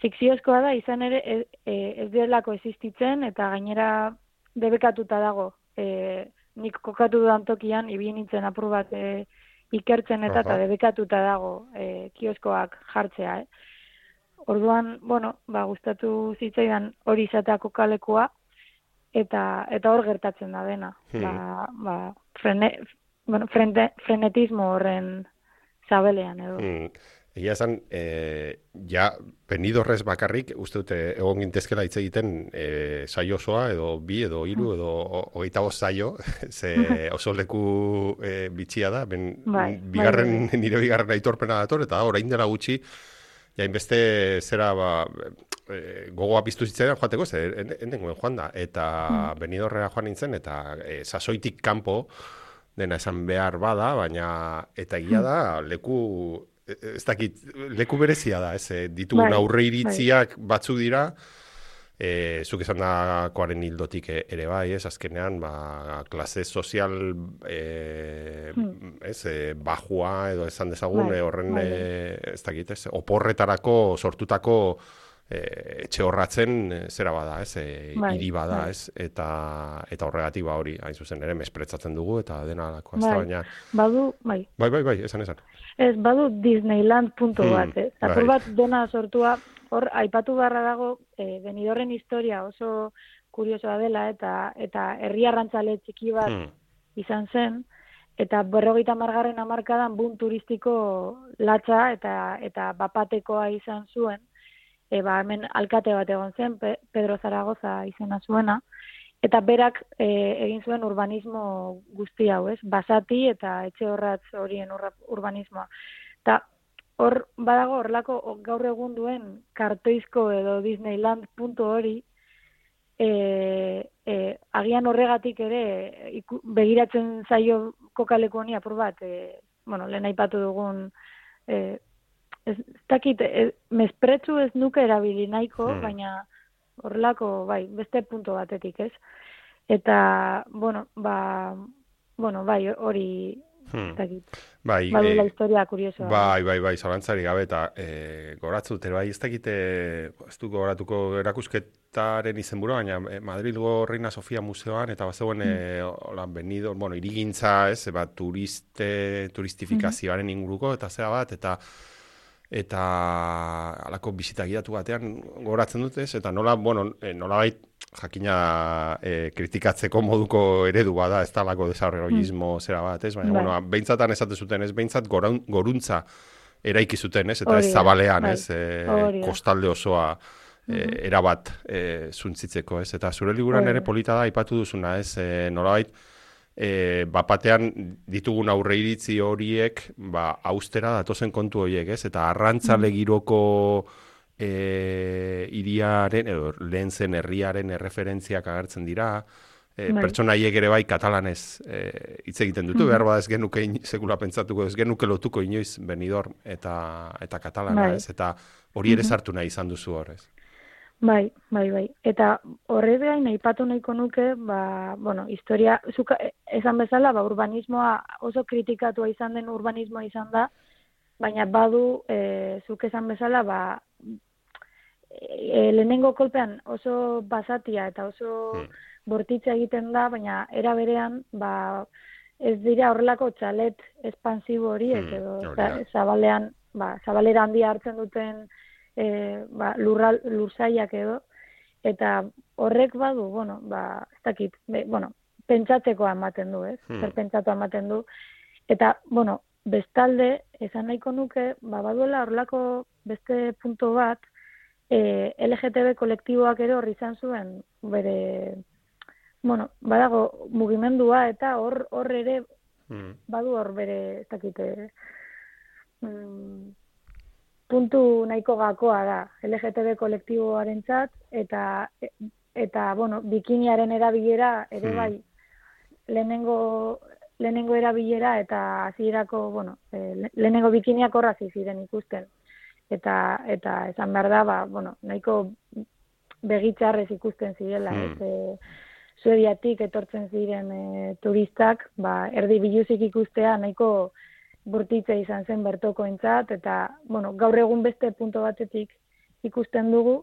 Speaker 3: Fikziozkoa da, izan ere, ez, ez delako existitzen, eta gainera debekatuta dago. E, nik kokatu dudan tokian, ibili nintzen apur bat e, ikertzen eta, eta
Speaker 1: Aha.
Speaker 3: debekatuta dago e, kioskoak jartzea. Eh? Orduan, bueno, ba, gustatu zitzaidan hori izatea kokalekua, eta eta hor gertatzen da dena.
Speaker 1: Hmm.
Speaker 3: Ba, ba, frene, bueno, frente, frenetismo horren zabelean edo.
Speaker 1: Hmm. Egia esan, e, ja, Benidorrez bakarrik, uste dute egon gintezkela hitz egiten e, saio osoa, edo bi, edo hiru, edo ho- hogeita bost saio, ze oso leku e, bitxia da, ben,
Speaker 3: Bai,
Speaker 1: bigarren,
Speaker 3: bai, bai.
Speaker 1: nire bigarren aitorpena dator, eta orain dela gutxi, ja, inbeste zera, ba, e, gogoa piztu zitzaidan joateko, ze endengoen joan da, eta Benidorrera joan nintzen, eta e, sasoitik kanpo, dena esan behar bada, baina eta egia da, leku, ez dakit, leku berezia da, ez, e, ditugun
Speaker 3: Bai,
Speaker 1: aurre iritziak batzuk dira, e, zuk esan dakoaren hildotik e- ere bai, ez, azkenean, ba, klase sozial, e, ez, e, bajua, edo esan dezagun,
Speaker 3: Bai,
Speaker 1: e, horren,
Speaker 3: bai,
Speaker 1: e, ez dakit, ez, oporretarako sortutako e, etxe horratzen e, zera bada, ez, e,
Speaker 3: Bai,
Speaker 1: hiri bada,
Speaker 3: bai.
Speaker 1: ez, eta eta horregatik ba hori, hain zuzen ere, mespretzatzen dugu, eta dena alako, ez da,
Speaker 3: Bai,
Speaker 1: baina,
Speaker 3: badu, bai.
Speaker 1: bai, bai, bai, esan, esan.
Speaker 3: Ez, badu Disneyland punto
Speaker 1: Hmm,
Speaker 3: bat, ez? Apur
Speaker 1: bai.
Speaker 3: bat dena sortua, hor, aipatu beharra dago, e, Benidorren historia oso kuriosoa dela, eta eta herri arrantzale txiki bat
Speaker 1: Hmm.
Speaker 3: izan zen, eta berrogeita margarren hamarkadan boom turistiko latza eta eta bapatekoa izan zuen, e, ba, hemen alkate bat egon zen, Pe- Pedro Zaragoza izena zuena, eta berak e, egin zuen urbanismo guzti hau, ez? Basati eta etxe horratz horien urra, urbanismoa. Eta hor badago horlako gaur egun duen kartoizko edo Disneyland puntu hori, e, e, agian horregatik ere iku, begiratzen zaio kokaleku honi apur bat, e, bueno, lehen aipatu dugun, e, ez, ez dakit, e, mespretsu ez nuke erabili nahiko,
Speaker 1: Hmm.
Speaker 3: baina horrelako, bai, beste punto batetik, ez? Eta, bueno, ba, bueno, bai, hori,
Speaker 1: Hmm.
Speaker 3: ez dakit,
Speaker 1: Bai,
Speaker 3: badula
Speaker 1: eh,
Speaker 3: historia kuriosoa.
Speaker 1: bai, bai, bai, zalantzari gabe, eta e, goratzen dute, bai, ez dakite, ez du goratuko erakusketaren izenburua, baina e, Madrilgo Reina Sofia Museoan, eta bazegoen, e, hola, Benidorm, bueno, irigintza, ez, ba, turiste, turistifikazioaren inguruko, eta zera bat, eta eta halako bisita gidatu batean goratzen dute, ez, eta nola, bueno, e, nolabait jakina e, kritikatzeko moduko eredu bada, ez talako desarrollismo zera bat, ez, baina,
Speaker 3: Bai.
Speaker 1: bueno, beintzatan esate zuten, ez, behintzat goraun- goruntza eraiki zuten, ez, eta
Speaker 3: Hori
Speaker 1: ez
Speaker 3: da,
Speaker 1: zabalean,
Speaker 3: bai.
Speaker 1: ez, e,
Speaker 3: Hori da.
Speaker 1: kostalde osoa e, erabat e, zuntzitzeko, ez, eta zure liburuan
Speaker 3: Hori
Speaker 1: ere
Speaker 3: da.
Speaker 1: polita da, aipatu duzuna, ez, e, nolabait, e, bapatean ditugun aurre iritzi horiek, ba, austera datozen kontu horiek, ez, eta arrantzale giroko e, iriaren, edo lehen zen herriaren erreferentziak agertzen dira, e, pertsonaiek ere bai katalanez e, hitz egiten dutu, behar bada ez genuke in, sekula pentsatuko, ez genuke lotuko inoiz Benidorm eta, eta katalana, bai. Ez? Eta hori ere sartu nahi izan duzu horrez.
Speaker 3: Bai, bai, bai. Eta horrez gain aipatu nahiko nuke, ba, bueno, historia, zuka, esan bezala, ba, urbanismoa oso kritikatua izan den urbanismoa izan da, baina badu, e, zuk esan bezala, ba, e, lehenengo kolpean oso basatia eta oso hmm. bortitza egiten da, baina era berean, ba, ez dira horrelako txalet espansibo horiek, hmm. edo za, zabalean, ba, zabalera handia hartzen duten E, ba, lurral, lurzaiak edo, eta horrek badu, bueno, ba, ez dakit, be, bueno, pentsatzekoa ematen du, ez? Hmm. Zer pentsatu ematen du. Eta, bueno, bestalde, esan nahiko nuke, ba, baduela horrelako beste punto bat, e, L G T B kolektiboak ere horri izan zuen, bere, bueno, badago mugimendua, eta hor hor ere, hmm. badu hor bere, ez dakit, mm, puntu nahiko gakoa da L G T B kolektiboarentzat eta eta bueno, bikiniaren erabilera ere bai lehenengo lehenengo erabilera eta hasierako, bueno, lehenengo bikiniak horra ziren ikusten. Eta eta esan behar da, ba, bueno, nahiko begitzarrez ikusten zirela, hmm. ez Suediatik etortzen ziren e, turistak, ba, erdi biluzik ikustea nahiko burtitza izan zen bertokoentzat, eta, bueno, gaur egun beste punto batetik ikusten dugu,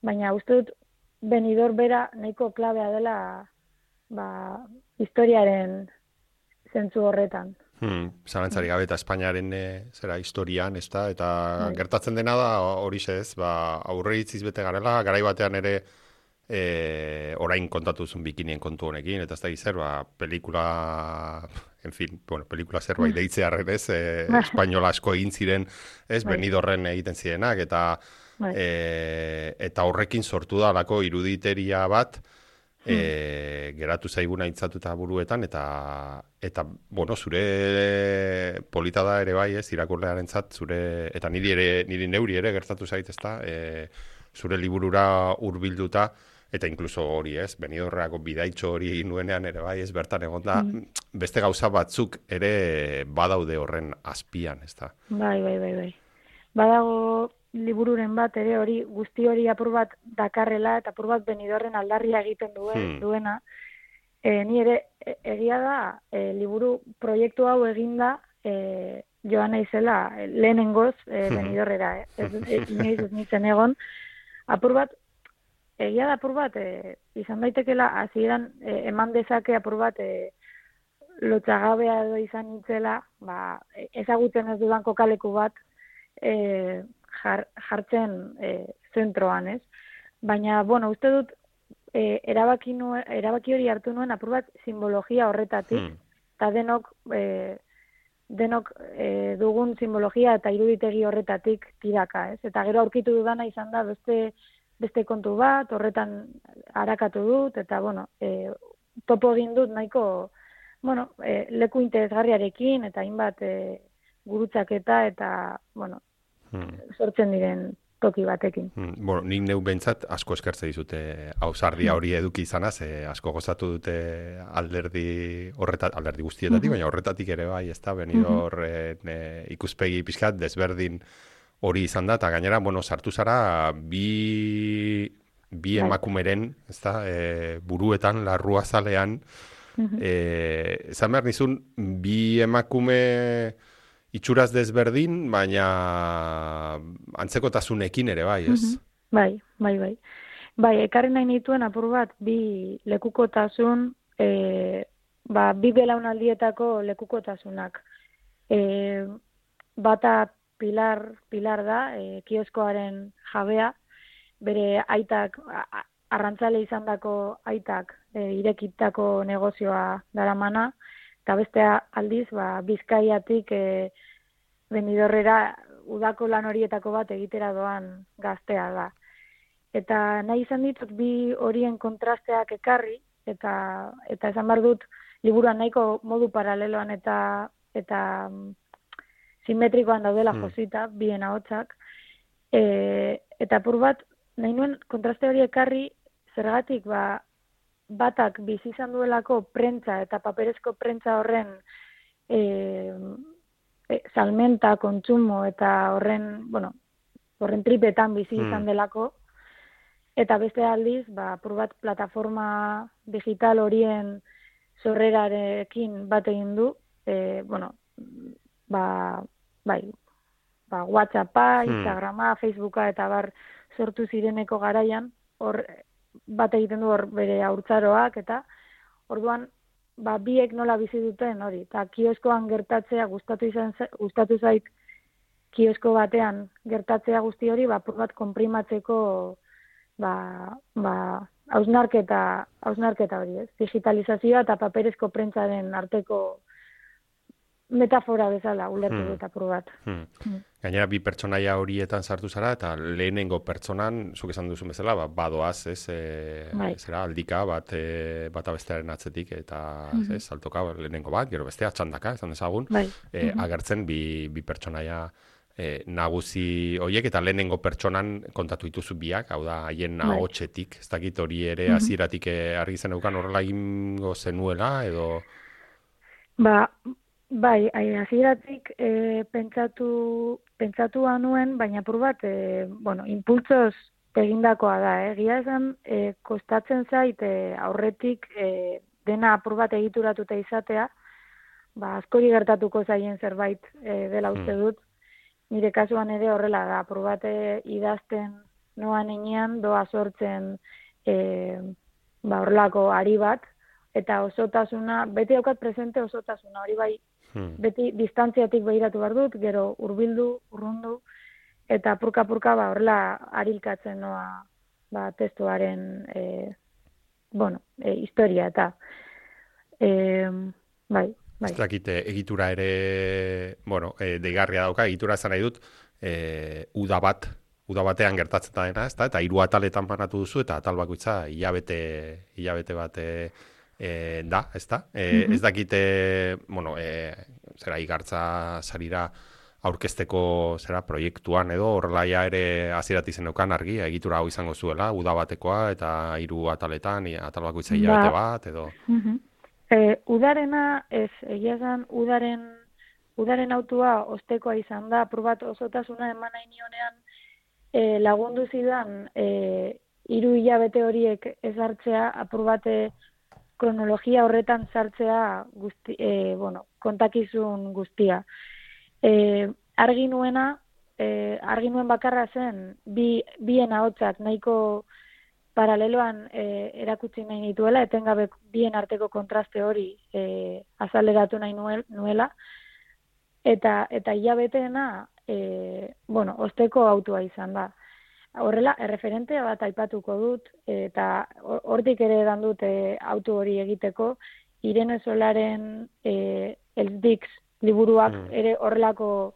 Speaker 3: baina uste dut Benidorm bera nahiko klabea dela, ba, historiaren zentzu horretan.
Speaker 1: Hmm, zalantzari gabe eta Espainiaren e, zera historian, ez da, eta Hai. Gertatzen dena da hori ez, ba, aurre itziz bete garela, garai batean ere e, orain kontatu zuen bikinien kontu honekin, eta ez da zer, ba, pelikula... En fin, bueno, pelikula zerbait deitzearren ez, e, espainola asko egin ziren, ez, Benidorren egiten zirenak, eta e, eta horrekin sortu da alako iruditeria bat, e, geratu zaiguna intzatuta buruetan, eta, eta, bueno, zure polita da ere bai, ez, irakurlearentzat, zure, eta niri ere, niri neuri ere gertatu zait, ez da, e, zure liburura hurbilduta, eta inkluso hori, ez, Benidorrako bidaitxo hori egin nuenean ere bai, ez, bertan egon da, mm. beste gauza batzuk ere badaude horren azpian, ez da.
Speaker 3: Bai, bai, bai, bai. Badago libururen bat ere hori, guzti hori apur bat dakarrela, eta apur bat Benidorren aldarria egiten duen, hmm. duena. E, ni ere, e, egia da, e, liburu proiektu hau eginda, e, joan naizela, e, lehenengoz, e, Benidorrera, eh? ez, ez, inoiz ez nintzen egon, apur bat, egia da apur bat, e, izan daitekela, hasieran e, eman dezake apur bat, e, lotxagabea edo izan nintzela, ba, ezagutzen ez dudan kokaleku bat e, jar, jartzen e, zentroan, ez? Baina, bueno, uste dut, e, erabaki, nuen, erabaki hori hartu nuen apur bat simbologia horretatik, eta hmm. denok, e, denok e, dugun simbologia eta iruditegi horretatik tiraka, ez? Eta gero aurkitu dudana izan da beste beste kontu bat, horretan arakatu dut, eta, bueno, e, topo egin dut nahiko, bueno, e, leku interesgarriarekin, eta hainbat e, gurutzaketa, eta, bueno, hmm. sortzen diren toki batekin.
Speaker 1: Hmm. Bueno, nik neu behintzat asko eskertze dizute ausardia hori eduki izanaz, e, asko gozatu dute alderdi horretat, alderdi guztietatik, hmm. baina horretatik ere bai, ez da, Benidorren hmm. e, ikuspegi pixkat desberdin hori izan da, eta gainera, bueno, sartu zara bi, bi emakumeren, ez da, e, buruetan, larrua zalean, uh-huh. e, zan behar nizun, bi emakume itxuraz desberdin, baina antzekotasunekin ere bai, ez? Uh-huh.
Speaker 3: Bai, bai, bai. Bai, ekarri nahi nituen apur bat, bi lekukotasun, e, ba, bi belaunaldietako lekukotasunak. E, bata Pilar, Pilar da, e, kioskoaren jabea, bere aitak, a, arrantzale izandako aitak e, irekitako negozioa daramana, eta bestea aldiz, ba, Bizkaiatik e, Benidorrera udako lan horietako bat egitera doan gaztea da. Eta nahi izan ditut bi horien kontrasteak ekarri, eta eta esan behar dut, liburuan nahiko modu paraleloan eta eta simetrikoan daudela josita, bien ahotsak, e, eta apur bat, nahi nuen kontraste hori ekarri, zergatik ba, batak bizi izan duelako prentza eta paperezko prentza horren e, e, salmenta, kontsumo eta horren, bueno, horren tripetan bizi izan delako, eta beste aldiz, ba, apur bat plataforma digital horien sorrerarekin bat egin du, e, bueno, ba, bai, ba, WhatsAppa, Instagrama, Facebooka eta bar sortu zireneko garaian, hor bat egiten du hor bere haurtzaroak, eta orduan, ba, biek nola bizi duten hori, eta kioskoan gertatzea gustatu izan gustatu zait kiosko batean gertatzea guzti hori, ba, apur bat konprimatzeko ba, ba, hausnarketa, hausnarketa hori, ez? Digitalizazioa eta paperezko prentzaren arteko metafora bezala ulertu
Speaker 1: Hmm.
Speaker 3: dut apur bat.
Speaker 1: Hmm.
Speaker 3: Hmm.
Speaker 1: Gainera, bi pertsonaia horietan sartu zara, eta lehenengo pertsonan, zuk esan duzun bezala, ba, badoaz, ez, e,
Speaker 3: Bai.
Speaker 1: zera, aldika, bat, e, bata bestearen atzetik, eta,
Speaker 3: Mhm.
Speaker 1: ez, saltoka, lehenengo bat, gero bestea, txandaka, esan dezagun,
Speaker 3: Bai.
Speaker 1: e,
Speaker 3: Mhm.
Speaker 1: agertzen bi, bi pertsonaia e, nagusi horiek, eta lehenengo pertsonan kontatu dituzu biak, hau da, haien
Speaker 3: Bai.
Speaker 1: ahotsetik, ez dakit hori ere
Speaker 3: Mhm.
Speaker 1: hasieratik e, argi zeneukan horrela egingo zenuela, edo...
Speaker 3: Ba, bai, ai, hasieratik e, pentsatu, pentsatua nuen, baina apur bat, e, bueno, impultsoz egindakoa da, eh? Egia esan, e, kostatzen zait e, aurretik e, dena apur bat egituratuta izatea, ba, askori gertatuko zaien zerbait e, dela uste dut. Nire kasuan ere horrela da, apur bat e, idazten noan enean, doa sortzen e, ba, horrelako ari bat, eta osotasuna, beti daukat presente osotasuna, hori bai,
Speaker 1: Hmm.
Speaker 3: beti distantziatik behiratu behar dut, gero hurbildu, urrundu, eta purka-purka ba, horrela arilkatzen noa ba, testuaren e, bueno, e, historia, eta e, bai, bai.
Speaker 1: Ez dakit, eh, egitura ere, bueno, e, deigarria dauka, egitura esan nahi dut, e, uda bat, uda batean gertatzen da dena, ezta? Eta hiru ataletan banatu duzu, eta atal bakoitza hilabete, hilabete bat e, e, da, ezta? E,
Speaker 3: Mhm.
Speaker 1: Ez dakite, bueno, e, zera igartza sarira aurkezteko zera proiektuan edo horrela ja ere hasieratik zeneukan argi, egitura hau izango zuela, uda batekoa eta hiru ataletan, i- atal bakoitza hilabete
Speaker 3: Ba.
Speaker 1: bat edo...
Speaker 3: Mhm. E, udarena, ez, egia esan, udaren, udaren autua ostekoa izan da, apur bat osotasuna eman nahi nionean, e, lagundu zidan, e, hiru hilabete horiek ezartzea, apur bate kronologia horretan sartzea guzti, e, bueno, kontakizun guztia. E, argi nuena, e, argi nuen bakarra zen, bi, bien ahotsak nahiko paraleloan e, erakutsi nahi nituela, etengabe bien arteko kontraste hori e, azaleratu nahi nuel, nuela, eta eta hilabeteena, e, bueno, osteko autua izan da. Horrela, erreferente bat aipatuko dut, eta hortik ere edan dut e, auto hori egiteko, Irene Solaren e, El Dix liburuak
Speaker 1: Mm.
Speaker 3: ere horrelako,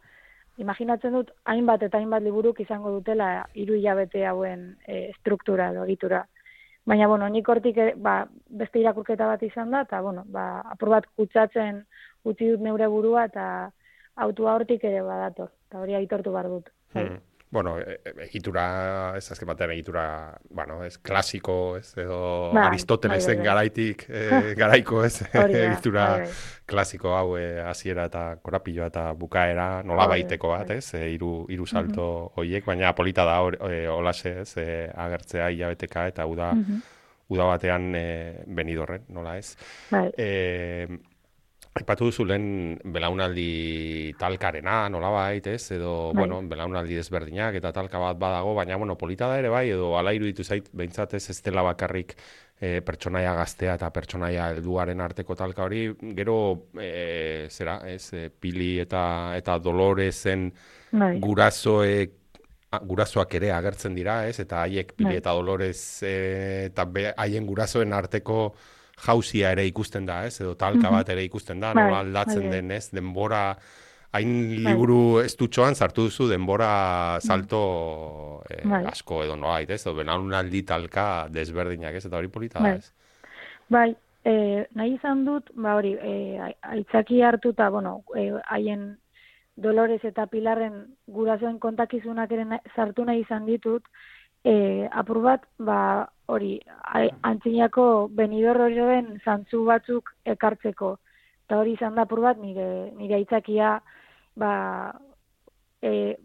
Speaker 3: imaginatzen dut, hainbat eta hainbat liburuk izango dutela hiru hilabete hauen e, struktura edo egitura. Baina, bueno, nik hortik ere, ba, beste irakurketa bat izan da, eta, bueno, ba, apur bat kutsatzen utzi dut neure burua, eta autua hortik ere badator, eta hori aitortu behar dut. Bai.
Speaker 1: Hmm. Bueno, e- e- egitura, ez azken batean egitura, bueno, ez klasiko, ez, edo
Speaker 3: Bai,
Speaker 1: Aristotelesen
Speaker 3: bai, bai, bai.
Speaker 1: garaitik, e, garaiko, ez,
Speaker 3: Hori da,
Speaker 1: egitura
Speaker 3: bai, bai.
Speaker 1: klasiko hau, e, hasiera eta korapilloa eta bukaera, nola
Speaker 3: Hori da,
Speaker 1: baiteko bat,
Speaker 3: bai.
Speaker 1: ez, e, hiru hiru salto horiek, baina polita da hor, e, olase, ez, e, agertzea hilabeteka eta uda,
Speaker 3: Mhm.
Speaker 1: uda batean e, Benidorren, nola ez.
Speaker 3: Bai.
Speaker 1: E, Aipatu duzu lehen belaunaldi talkarena, nolabait, ez? Edo,
Speaker 3: Bai.
Speaker 1: bueno, belaunaldi desberdinak eta talka bat badago, baina, bueno, polita da ere bai, edo ala iruditu zait, behintzat ez ez dela bakarrik e, pertsonaia gaztea eta pertsonaia helduaren arteko talka hori, gero, e, zera, ez, e, Pili eta, eta Doloresen
Speaker 3: Bai.
Speaker 1: gurasoek a- gurasoak ere agertzen dira, ez? Eta haiek Pili
Speaker 3: Bai.
Speaker 1: eta Dolores e, eta be- haien gurasoen arteko jauzia ere ikusten da, ez? Edo talka
Speaker 3: Mhm.
Speaker 1: bat ere ikusten da,
Speaker 3: Bai,
Speaker 1: nola aldatzen
Speaker 3: bai, bai.
Speaker 1: den, ez? Denbora, hain liburu estutxoan sartu duzu denbora salto eh,
Speaker 3: Bai.
Speaker 1: asko edo noait, ez? Edo belaunaldi talka desberdinak, ez? Eta hori polita da,
Speaker 3: Bai.
Speaker 1: ez?
Speaker 3: Bai, e, nahi izan dut, ba hori, e, aitzaki hartuta, bueno, e, haien Dolores eta Pilarren gurasoen kontakizunak ere sartu nahi izan ditut, e, apur bat, ba, hori, antzinako Benidorm horien zantzu batzuk ekartzeko. Eta hori izan da apur bat, nire, nire aitzakia, ba, e,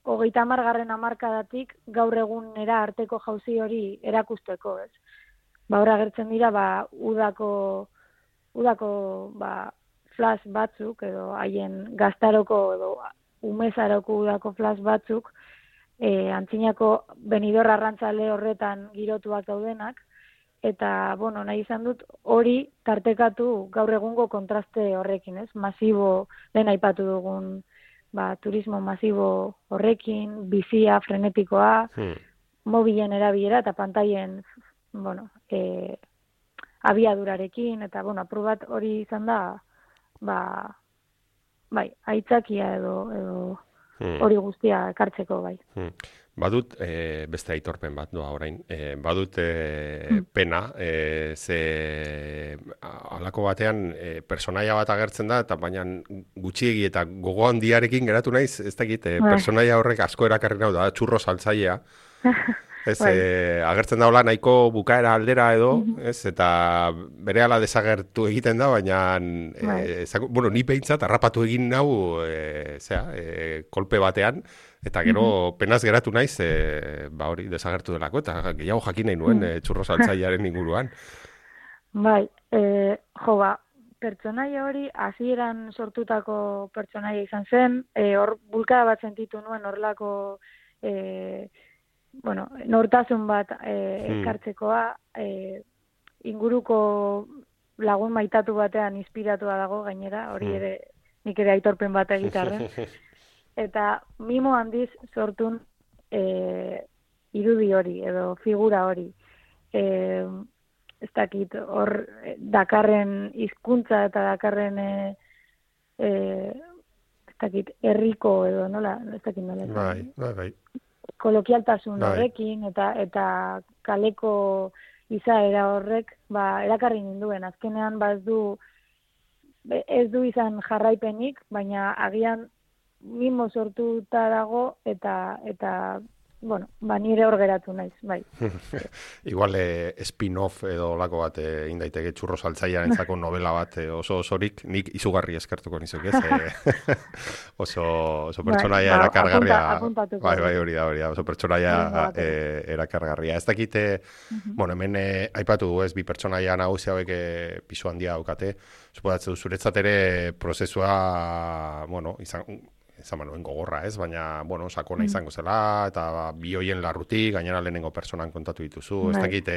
Speaker 3: hogeita hamargarren hamarkadatik gaur egunera arteko jauzi hori erakusteko, ez? Ba, hor agertzen dira, ba, udako, udako, ba, flash batzuk, edo haien gaztaroko, edo umezaroko udako flash batzuk, e, antzinako Benidorm arrantzale horretan girotuak daudenak, eta, bueno, nahi izan dut hori tartekatu gaur egungo kontraste horrekin, ez? Masibo, lehen aipatu dugun, ba, turismo masibo horrekin, bizia, frenetikoa, hmm. mobilen erabilera eta pantailen, bueno, e, abiadurarekin, eta, bueno, apur bat hori izan da, ba, bai, aitzakia edo, edo hmm. hori guztia ekartzeko, bai.
Speaker 1: Hmm. Badut, e, beste aitorpen bat doa orain, e, badut e, hmm. pena, e, ze halako batean e, personaia bat agertzen da, eta baina gutxiegi eta gogo handiarekin geratu naiz, ez dakit, e, personaia horrek asko erakarri nau da, txurro saltzailea. Ez, e, agertzen daula nahiko bukaera aldera edo, ez, eta berehala desagertu egiten da, baina e, zako, bueno, ni behintzat harrapatu egin nau e, zera, e, kolpe batean, eta gero mm-hmm. penaz geratu naiz, e, ba hori desagertu delako, eta gehiago jakin nahi nuen e, txurro saltzailearen inguruan.
Speaker 3: Bai, e, jo ba, pertsonaia hori hasieran sortutako pertsonaia izan zen, e, hor bulkada bat sentitu nuen horrelako e, bueno, nortasun bat e, ekartzekoa, e, inguruko lagun maitatu batean inspiratua dago gainera, hori ere nik ere aitorpen bat egitarren. Eta mimo handiz sortun e, irudi hori, edo figura hori. E, ez dakit, hor dakarren hizkuntza eta dakarren e, e, ez dakit, herriko edo nola, ez dakit nola.
Speaker 1: Bai, bai, bai.
Speaker 3: Kolokialtasun horrekin eta eta kaleko izaera horrek ba erakarri ninduen. Azkenean ba ez du ez du izan jarraipenik, baina agian mimo sortuta dago eta eta bueno, ba nire hor geratu naiz, bai.
Speaker 1: Igual eh, spin-off edo lako bat egin eh, daiteke txurro saltzailearentzako novela bat eh, oso osorik, nik izugarri eskertuko nizuk, ez? Eh, oso oso pertsonaia bai, erakargarria.
Speaker 3: Apunta,
Speaker 1: bai, bai, hori da, hori da, oso pertsonaia eh, erakargarria. Ez dakite, uh-huh. bueno, hemen eh, aipatu du, ez, bi pertsonaia nagusi hauek eh, pisu handia daukate. Suposatzen du zuretzat ere prozesua, bueno, izan izan manuen gogorra, ez? Baina, bueno, sakona izango zela, eta bi hoien larrutik, gainera lehenengo personan kontatu dituzu. Bai. Ez dakit,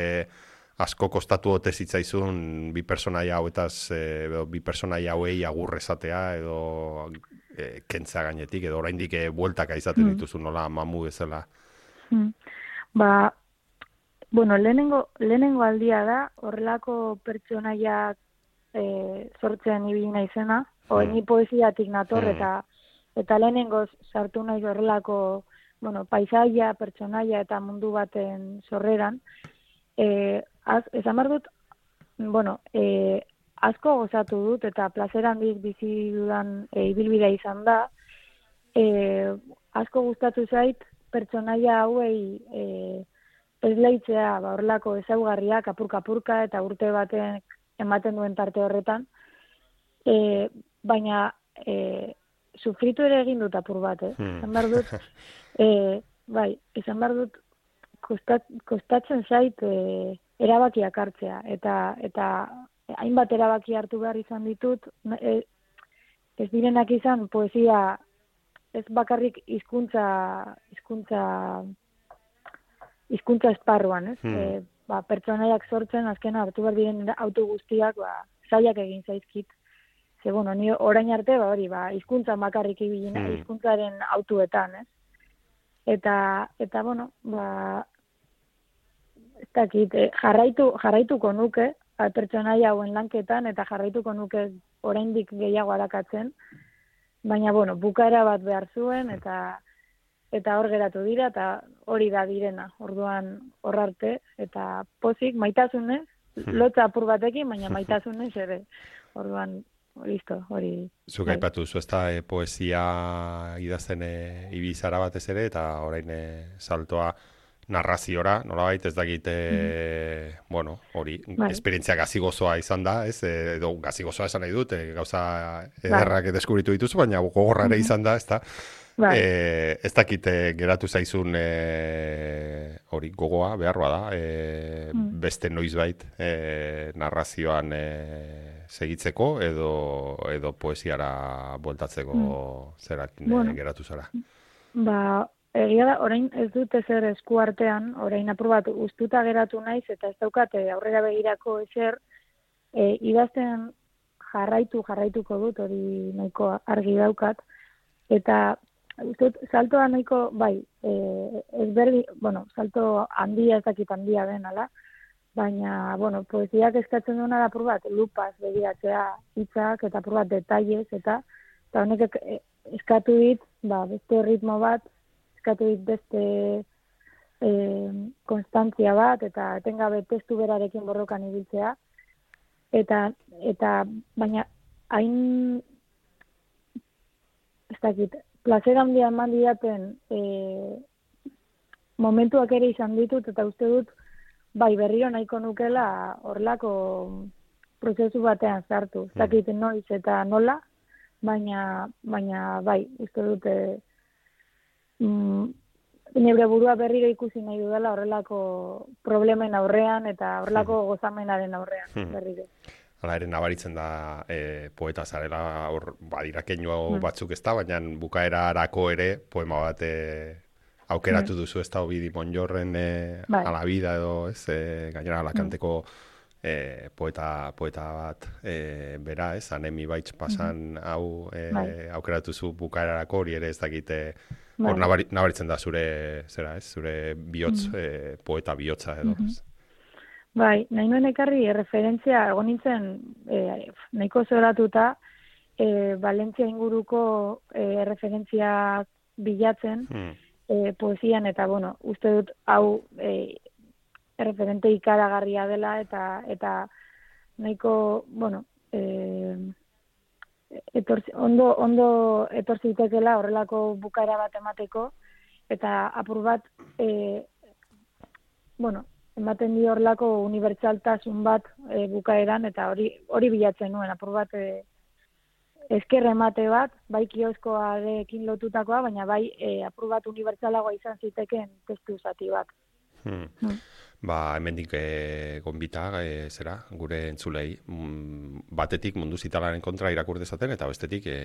Speaker 1: asko kostatu ote zitzaizun bi personaia hauetaz, e, bi personaia hauei agurre esatea, edo e, kentzea gainetik, edo oraindik e, bueltaka izaten dituzu, nola mamu bezala.
Speaker 3: Hmm. Ba, bueno, lehenengo, lehenengo aldia da, horrelako pertsonaiak e, sortzen ibili naizena, hmm. ni poesiatik nator, hmm. eta Eta lehenengoz sartu nahi horrelako, bueno, paisaia, pertsonaia eta mundu baten sorreran. E, az, esan behar dut, bueno, e, asko gozatu dut eta plazer handiz bizi dudan e, ibilbidea izan da. E, asko gustatu zait pertsonaia hauei e, esleitzea ba, horrelako ezaugarriak apurka-apurka eta urte baten ematen duen tarte horretan. E, baina... E, sufritu ere egin dut apur bat, eh? Hmm. Esan behar dut, e, bai, esan behar dut, kostat, kostatzen zait e, erabakiak hartzea, eta eta hainbat erabaki hartu behar izan ditut, e, ez direnak izan poesia, ez bakarrik hizkuntza hizkuntza hizkuntza esparruan, ez? Hmm. E, ba, pertsonaiak sortzen, azken hartu behar diren auto guztiak, ba, zailak egin zaizkit. Ze, bueno, ni orain arte, ba, hori, ba, hizkuntza makarrik ibilina, hmm. hizkuntzaren autuetan, ez? Eta, eta, bueno, ba, ez dakit, eh, jarraitu, jarraituko nuke, pertsonaia hauen lanketan, eta jarraituko nuke oraindik gehiago arakatzen, baina, bueno, bukaera bat behar zuen, eta eta hor geratu dira, eta hori da direna, orduan hor arte, eta pozik, maitasunez, lotza apur batekin, baina maitasunez ere, orduan, listo, hori.
Speaker 1: Zuk aipatu duzu, ez da, e, poesia idazten e, ibizara batez ere, eta orain e, saltoa narraziora, nolabait, ez dakit, e, mm. bueno, hori, bai. Esperientzia gazigozoa izan da, ez, e, edo gazigozoa esan nahi dut, e, gauza ederrak bai. Deskubritu dituzu, baina gogorra ere mm-hmm. izan da, ez da, bai. e, ez dakit e, geratu zaizun e, hori gogoa, beharroa da, e, mm. beste noizbait e, narrazioan e, segitzeko, edo, edo poesiara bueltatzeko mm. zerak bueno. geratu zara.
Speaker 3: Ba, egia da, orain ez dut ezer esku artean, orain apur bat ustuta geratu naiz, eta ez daukate aurrera begirako ezer, e, idazten jarraitu, jarraituko dut, hori nahiko argi daukat, eta ustut, saltoa nahiko, bai, e, ez berdi, bueno, salto handia ez dakit handia den, ala, baina, bueno, poesiak eskatzen duena da apur bat, lupaz begiratzea hitzak, eta apur bat detailez, eta, eta honek eskatu dit, ba, beste ritmo bat, eskatu dit beste e, konstantzia bat, eta etengabe testu berarekin borrokan ibiltzea, eta, eta baina, hain, ez dakit, plazer handia eman didaten e, momentuak ere izan ditut, eta uste dut, bai, berriro nahiko nukela horlako prozesu batean sartu. Ez dakit noiz eta nola, baina, baina bai, uste dute mm, nebre burua berriro ikusi nahi dudala horrelako problemen aurrean eta horrelako gozamenaren aurrean berriro.
Speaker 1: Hala ere nabaritzen da e, poeta zarela, hor badira keinu mm. batzuk ez da, baina bukaerarako ere poema bat e, aukeratu duzu ez da Ovidi Monjorren e, bai. A la vida edo ez, e, gainera Alakanteko e, poeta, poeta bat e, bera ez, Anemi Baitz pasan mm-hmm. hau e, bai. Aukeratu zu bukaerarako hori ere ez dakite hor bai. nabari, nabaritzen da zure, zera ez, zure bihotz, mm-hmm. e, poeta bihotza edo mm-hmm.
Speaker 3: Bai, nahi nuen ekarri referentzia egon nintzen e, nahiko zoratuta e, Valentzia inguruko e, referentzia bilatzen mm. e, poesian, eta bueno, uste dut hau e, referente ikaragarria dela, eta eta nahiko, bueno, e, etorzi, ondo, ondo etorzitekela horrelako bukaera bat emateko, eta apur bat, e, bueno, ematen di horlako unibertsaltasun bat e, bukaeran, eta hori hori bilatzen nuen, apur bat e, esker emate bat, bai kioskoarekin lotutakoa, baina bai e, apur bat unibertsalagoa izan ziteken testu zati bat.
Speaker 1: Hmm. Hmm. Ba, hemendik e, gonbita, e, zera, gure entzulei, mm, batetik mundu zitalaren kontra irakur dezaten, eta bestetik e,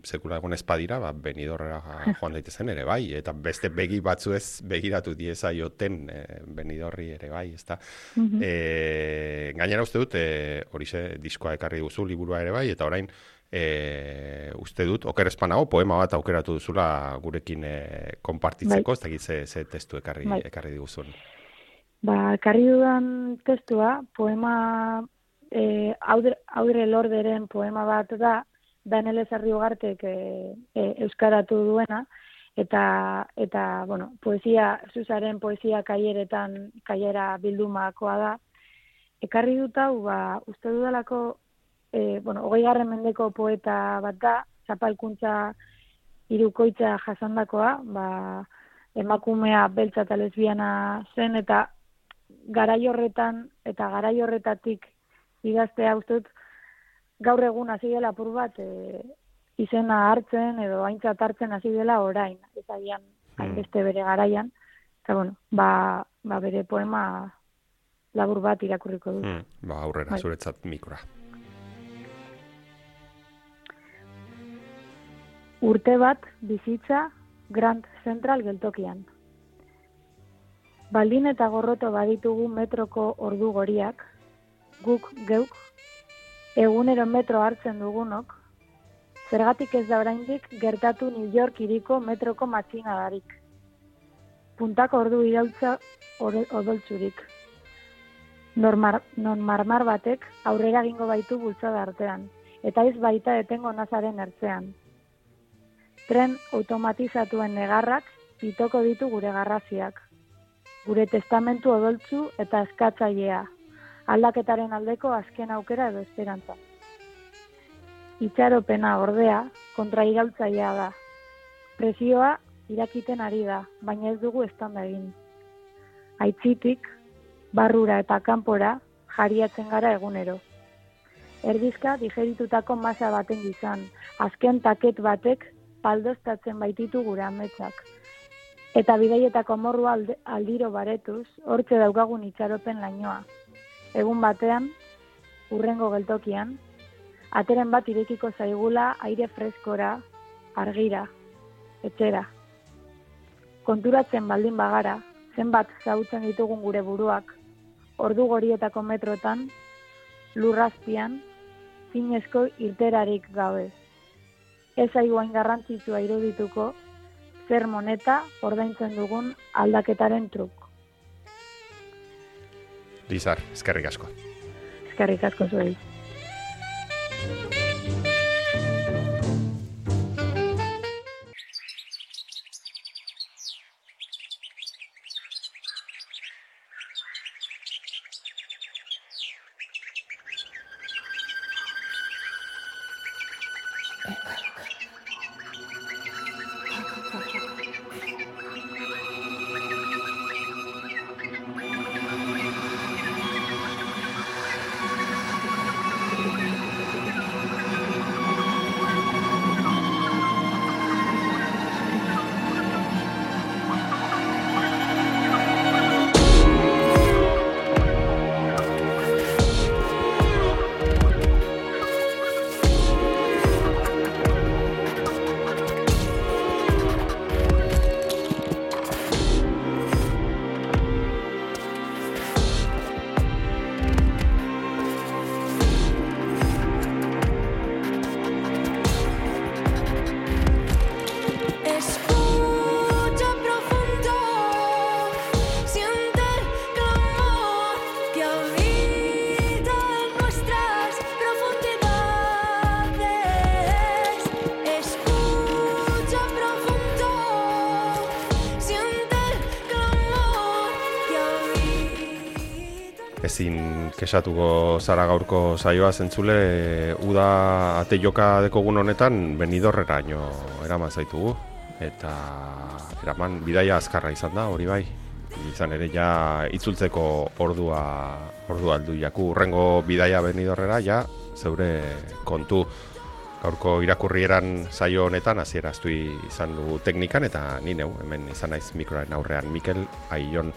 Speaker 1: sekula egon espadira, ba, Benidorrera joan daitezen ere bai, eta beste begi batzu ez begiratu dieza joten e, Benidorri ere bai, ezta. Mm-hmm. E, gainera uste dut, e, horixe diskoa ekarri duzu, liburua ere bai, eta orain, e, uste dut, oker espanago, poema bat aukeratu duzula gurekin e, konpartitzeko, bai. Ez dakit ze, ze testu ekarri, bai. ekarri diguzun.
Speaker 3: Ba, ekarri dudan testua, poema, e, Audre, Audre Lorderen poema bat da, Daniel Ezarri-Ugartek e, e, euskaratu duena, eta, eta bueno, poesia, Zuzaren poesia kaieretan, kaiera bildumakoa da. Ekarri dut hau, ba, uste dudalako, e, bueno, hogei garren mendeko poeta bat da, zapalkuntza hirukoitza jasandakoa, ba, emakumea beltza eta lesbiana zen, eta garai horretan eta garai horretatik idaztea uste dut gaur egun hasi dela apur bat e, izena hartzen edo aintzat hartzen hasi dela orain, ez agian hainbeste bere garaian, eta bueno, ba, ba bere poema labur bat irakurriko dut.
Speaker 1: Hmm, ba aurrera, bai. Zuretzat mikroa.
Speaker 3: Urte bat bizitza Grand Central geltokian. Baldin eta gorroto baditugu metroko ordu goriak, guk geuk, egunero metro hartzen dugunok, zergatik ez da oraindik gertatu New York hiriko metroko matxinadarik. Puntako ordu irautza odoltzurik. Normar, non marmar batek aurrera egingo baitu bultzada artean, eta ez baita etengo nazaren ertzean. Tren automatizatuen negarrak pitoko ditu gure garraziak. Gure testamentu odoltzu eta eskatzailea, aldaketaren aldeko azken aukera edo esperantza. Itxaropena ordea kontrairaultzailea da. Presioa irakiten ari da, baina ez dugu eztanda egin. Aitzitik, barrura eta kanpora jariatzen gara egunero. Erdizka digeritutako masa baten gizan, azken taket batek paldoztatzen baititu gure ametsak. Eta bidaietako morrua alde, aldiro baretuz, hortze daukagun itxaropen lainoa. Egun batean, urrengo geltokian, ateren bat irekiko zaigula aire freskora, argira, etxera. Konturatzen baldin bagara, zenbat zautzen ditugun gure buruak, ordu gorietako metrotan, lurrazpian, zinezko irterarik gabe. Ez aiguain garrantzitsua irudituko, zer moneta ordaintzen dugun aldaketaren truk.
Speaker 1: Lizar, eskerrik asko.
Speaker 3: Eskerrik asko zuei.
Speaker 1: Ezin kesatuko zara gaurko saioa zentzule, uda ate joka dekogun honetan Benidorreraino eraman zaitugu. Eta eraman bidaia azkarra izan da, hori bai. Izan ere ja itzultzeko ordua, ordua aldu jaku. Urrengo bidaia Benidorrera ja zeure kontu. Gaurko irakurrieran saio honetan hasiera astu izan dugu teknikan eta ni neu hemen izan naiz mikroaren aurrean Mikel Aion.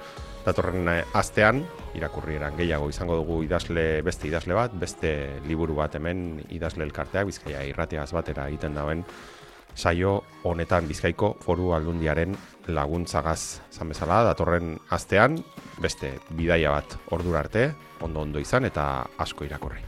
Speaker 1: Datorren astean irakurrieran gehiago izango dugu idazle beste idazle bat, beste liburu bat hemen idazle elkarteak Bizkaia Irratiaz batera egiten dauen saio honetan Bizkaiko Foru Aldundiaren laguntzagaz zan bezala. Datorren astean beste bidaia bat ordura arte, ondo ondo izan eta asko irakurri.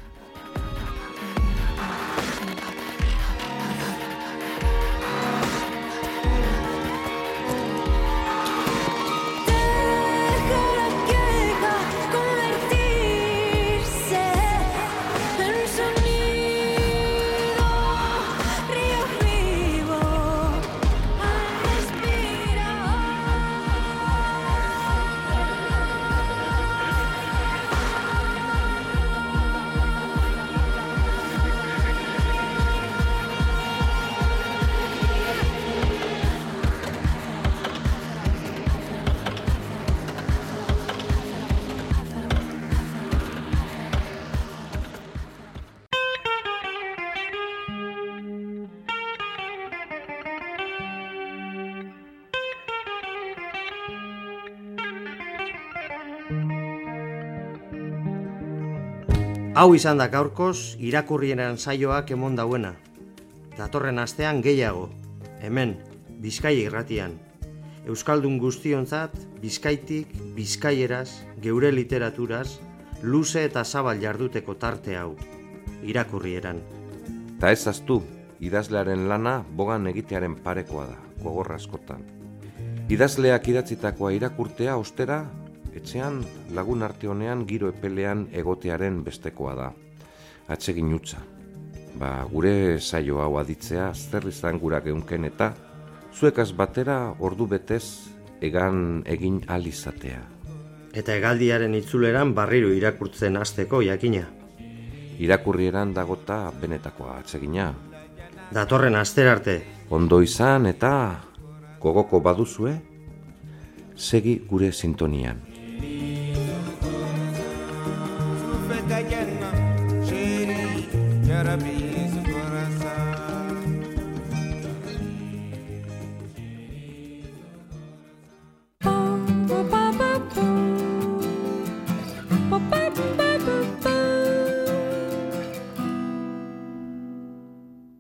Speaker 4: Hau izan da gaurkoz irakurrieran saioak emon dauena. Datorren astean gehiago, hemen, Bizkaia Irratian. Euskaldun guztionzat, Bizkaitik, Bizkaieraz, geure literaturaz, luze eta zabal jarduteko tarte hau, irakurrieran.
Speaker 5: Ta ez aztu, idazlearen lana bogan egitearen parekoa da, gogorra askotan. Idazleak idatzitakoa irakurtea ostera, etxean lagun arte honean giro epelean egotearen bestekoa da. Atsegin utza. Ba, gure saio hau aditzea zer izan gura geunken eta zuekaz batera ordu betez egan egin alizatea.
Speaker 4: Eta hegaldiaren itzuleran barriro irakurtzen hasteko jakina.
Speaker 5: irakurrieran dagota benetakoa atsegina.
Speaker 4: Datorren astera arte.
Speaker 5: Ondo izan eta gogoko baduzue, segi gure sintonian.
Speaker 6: Bye.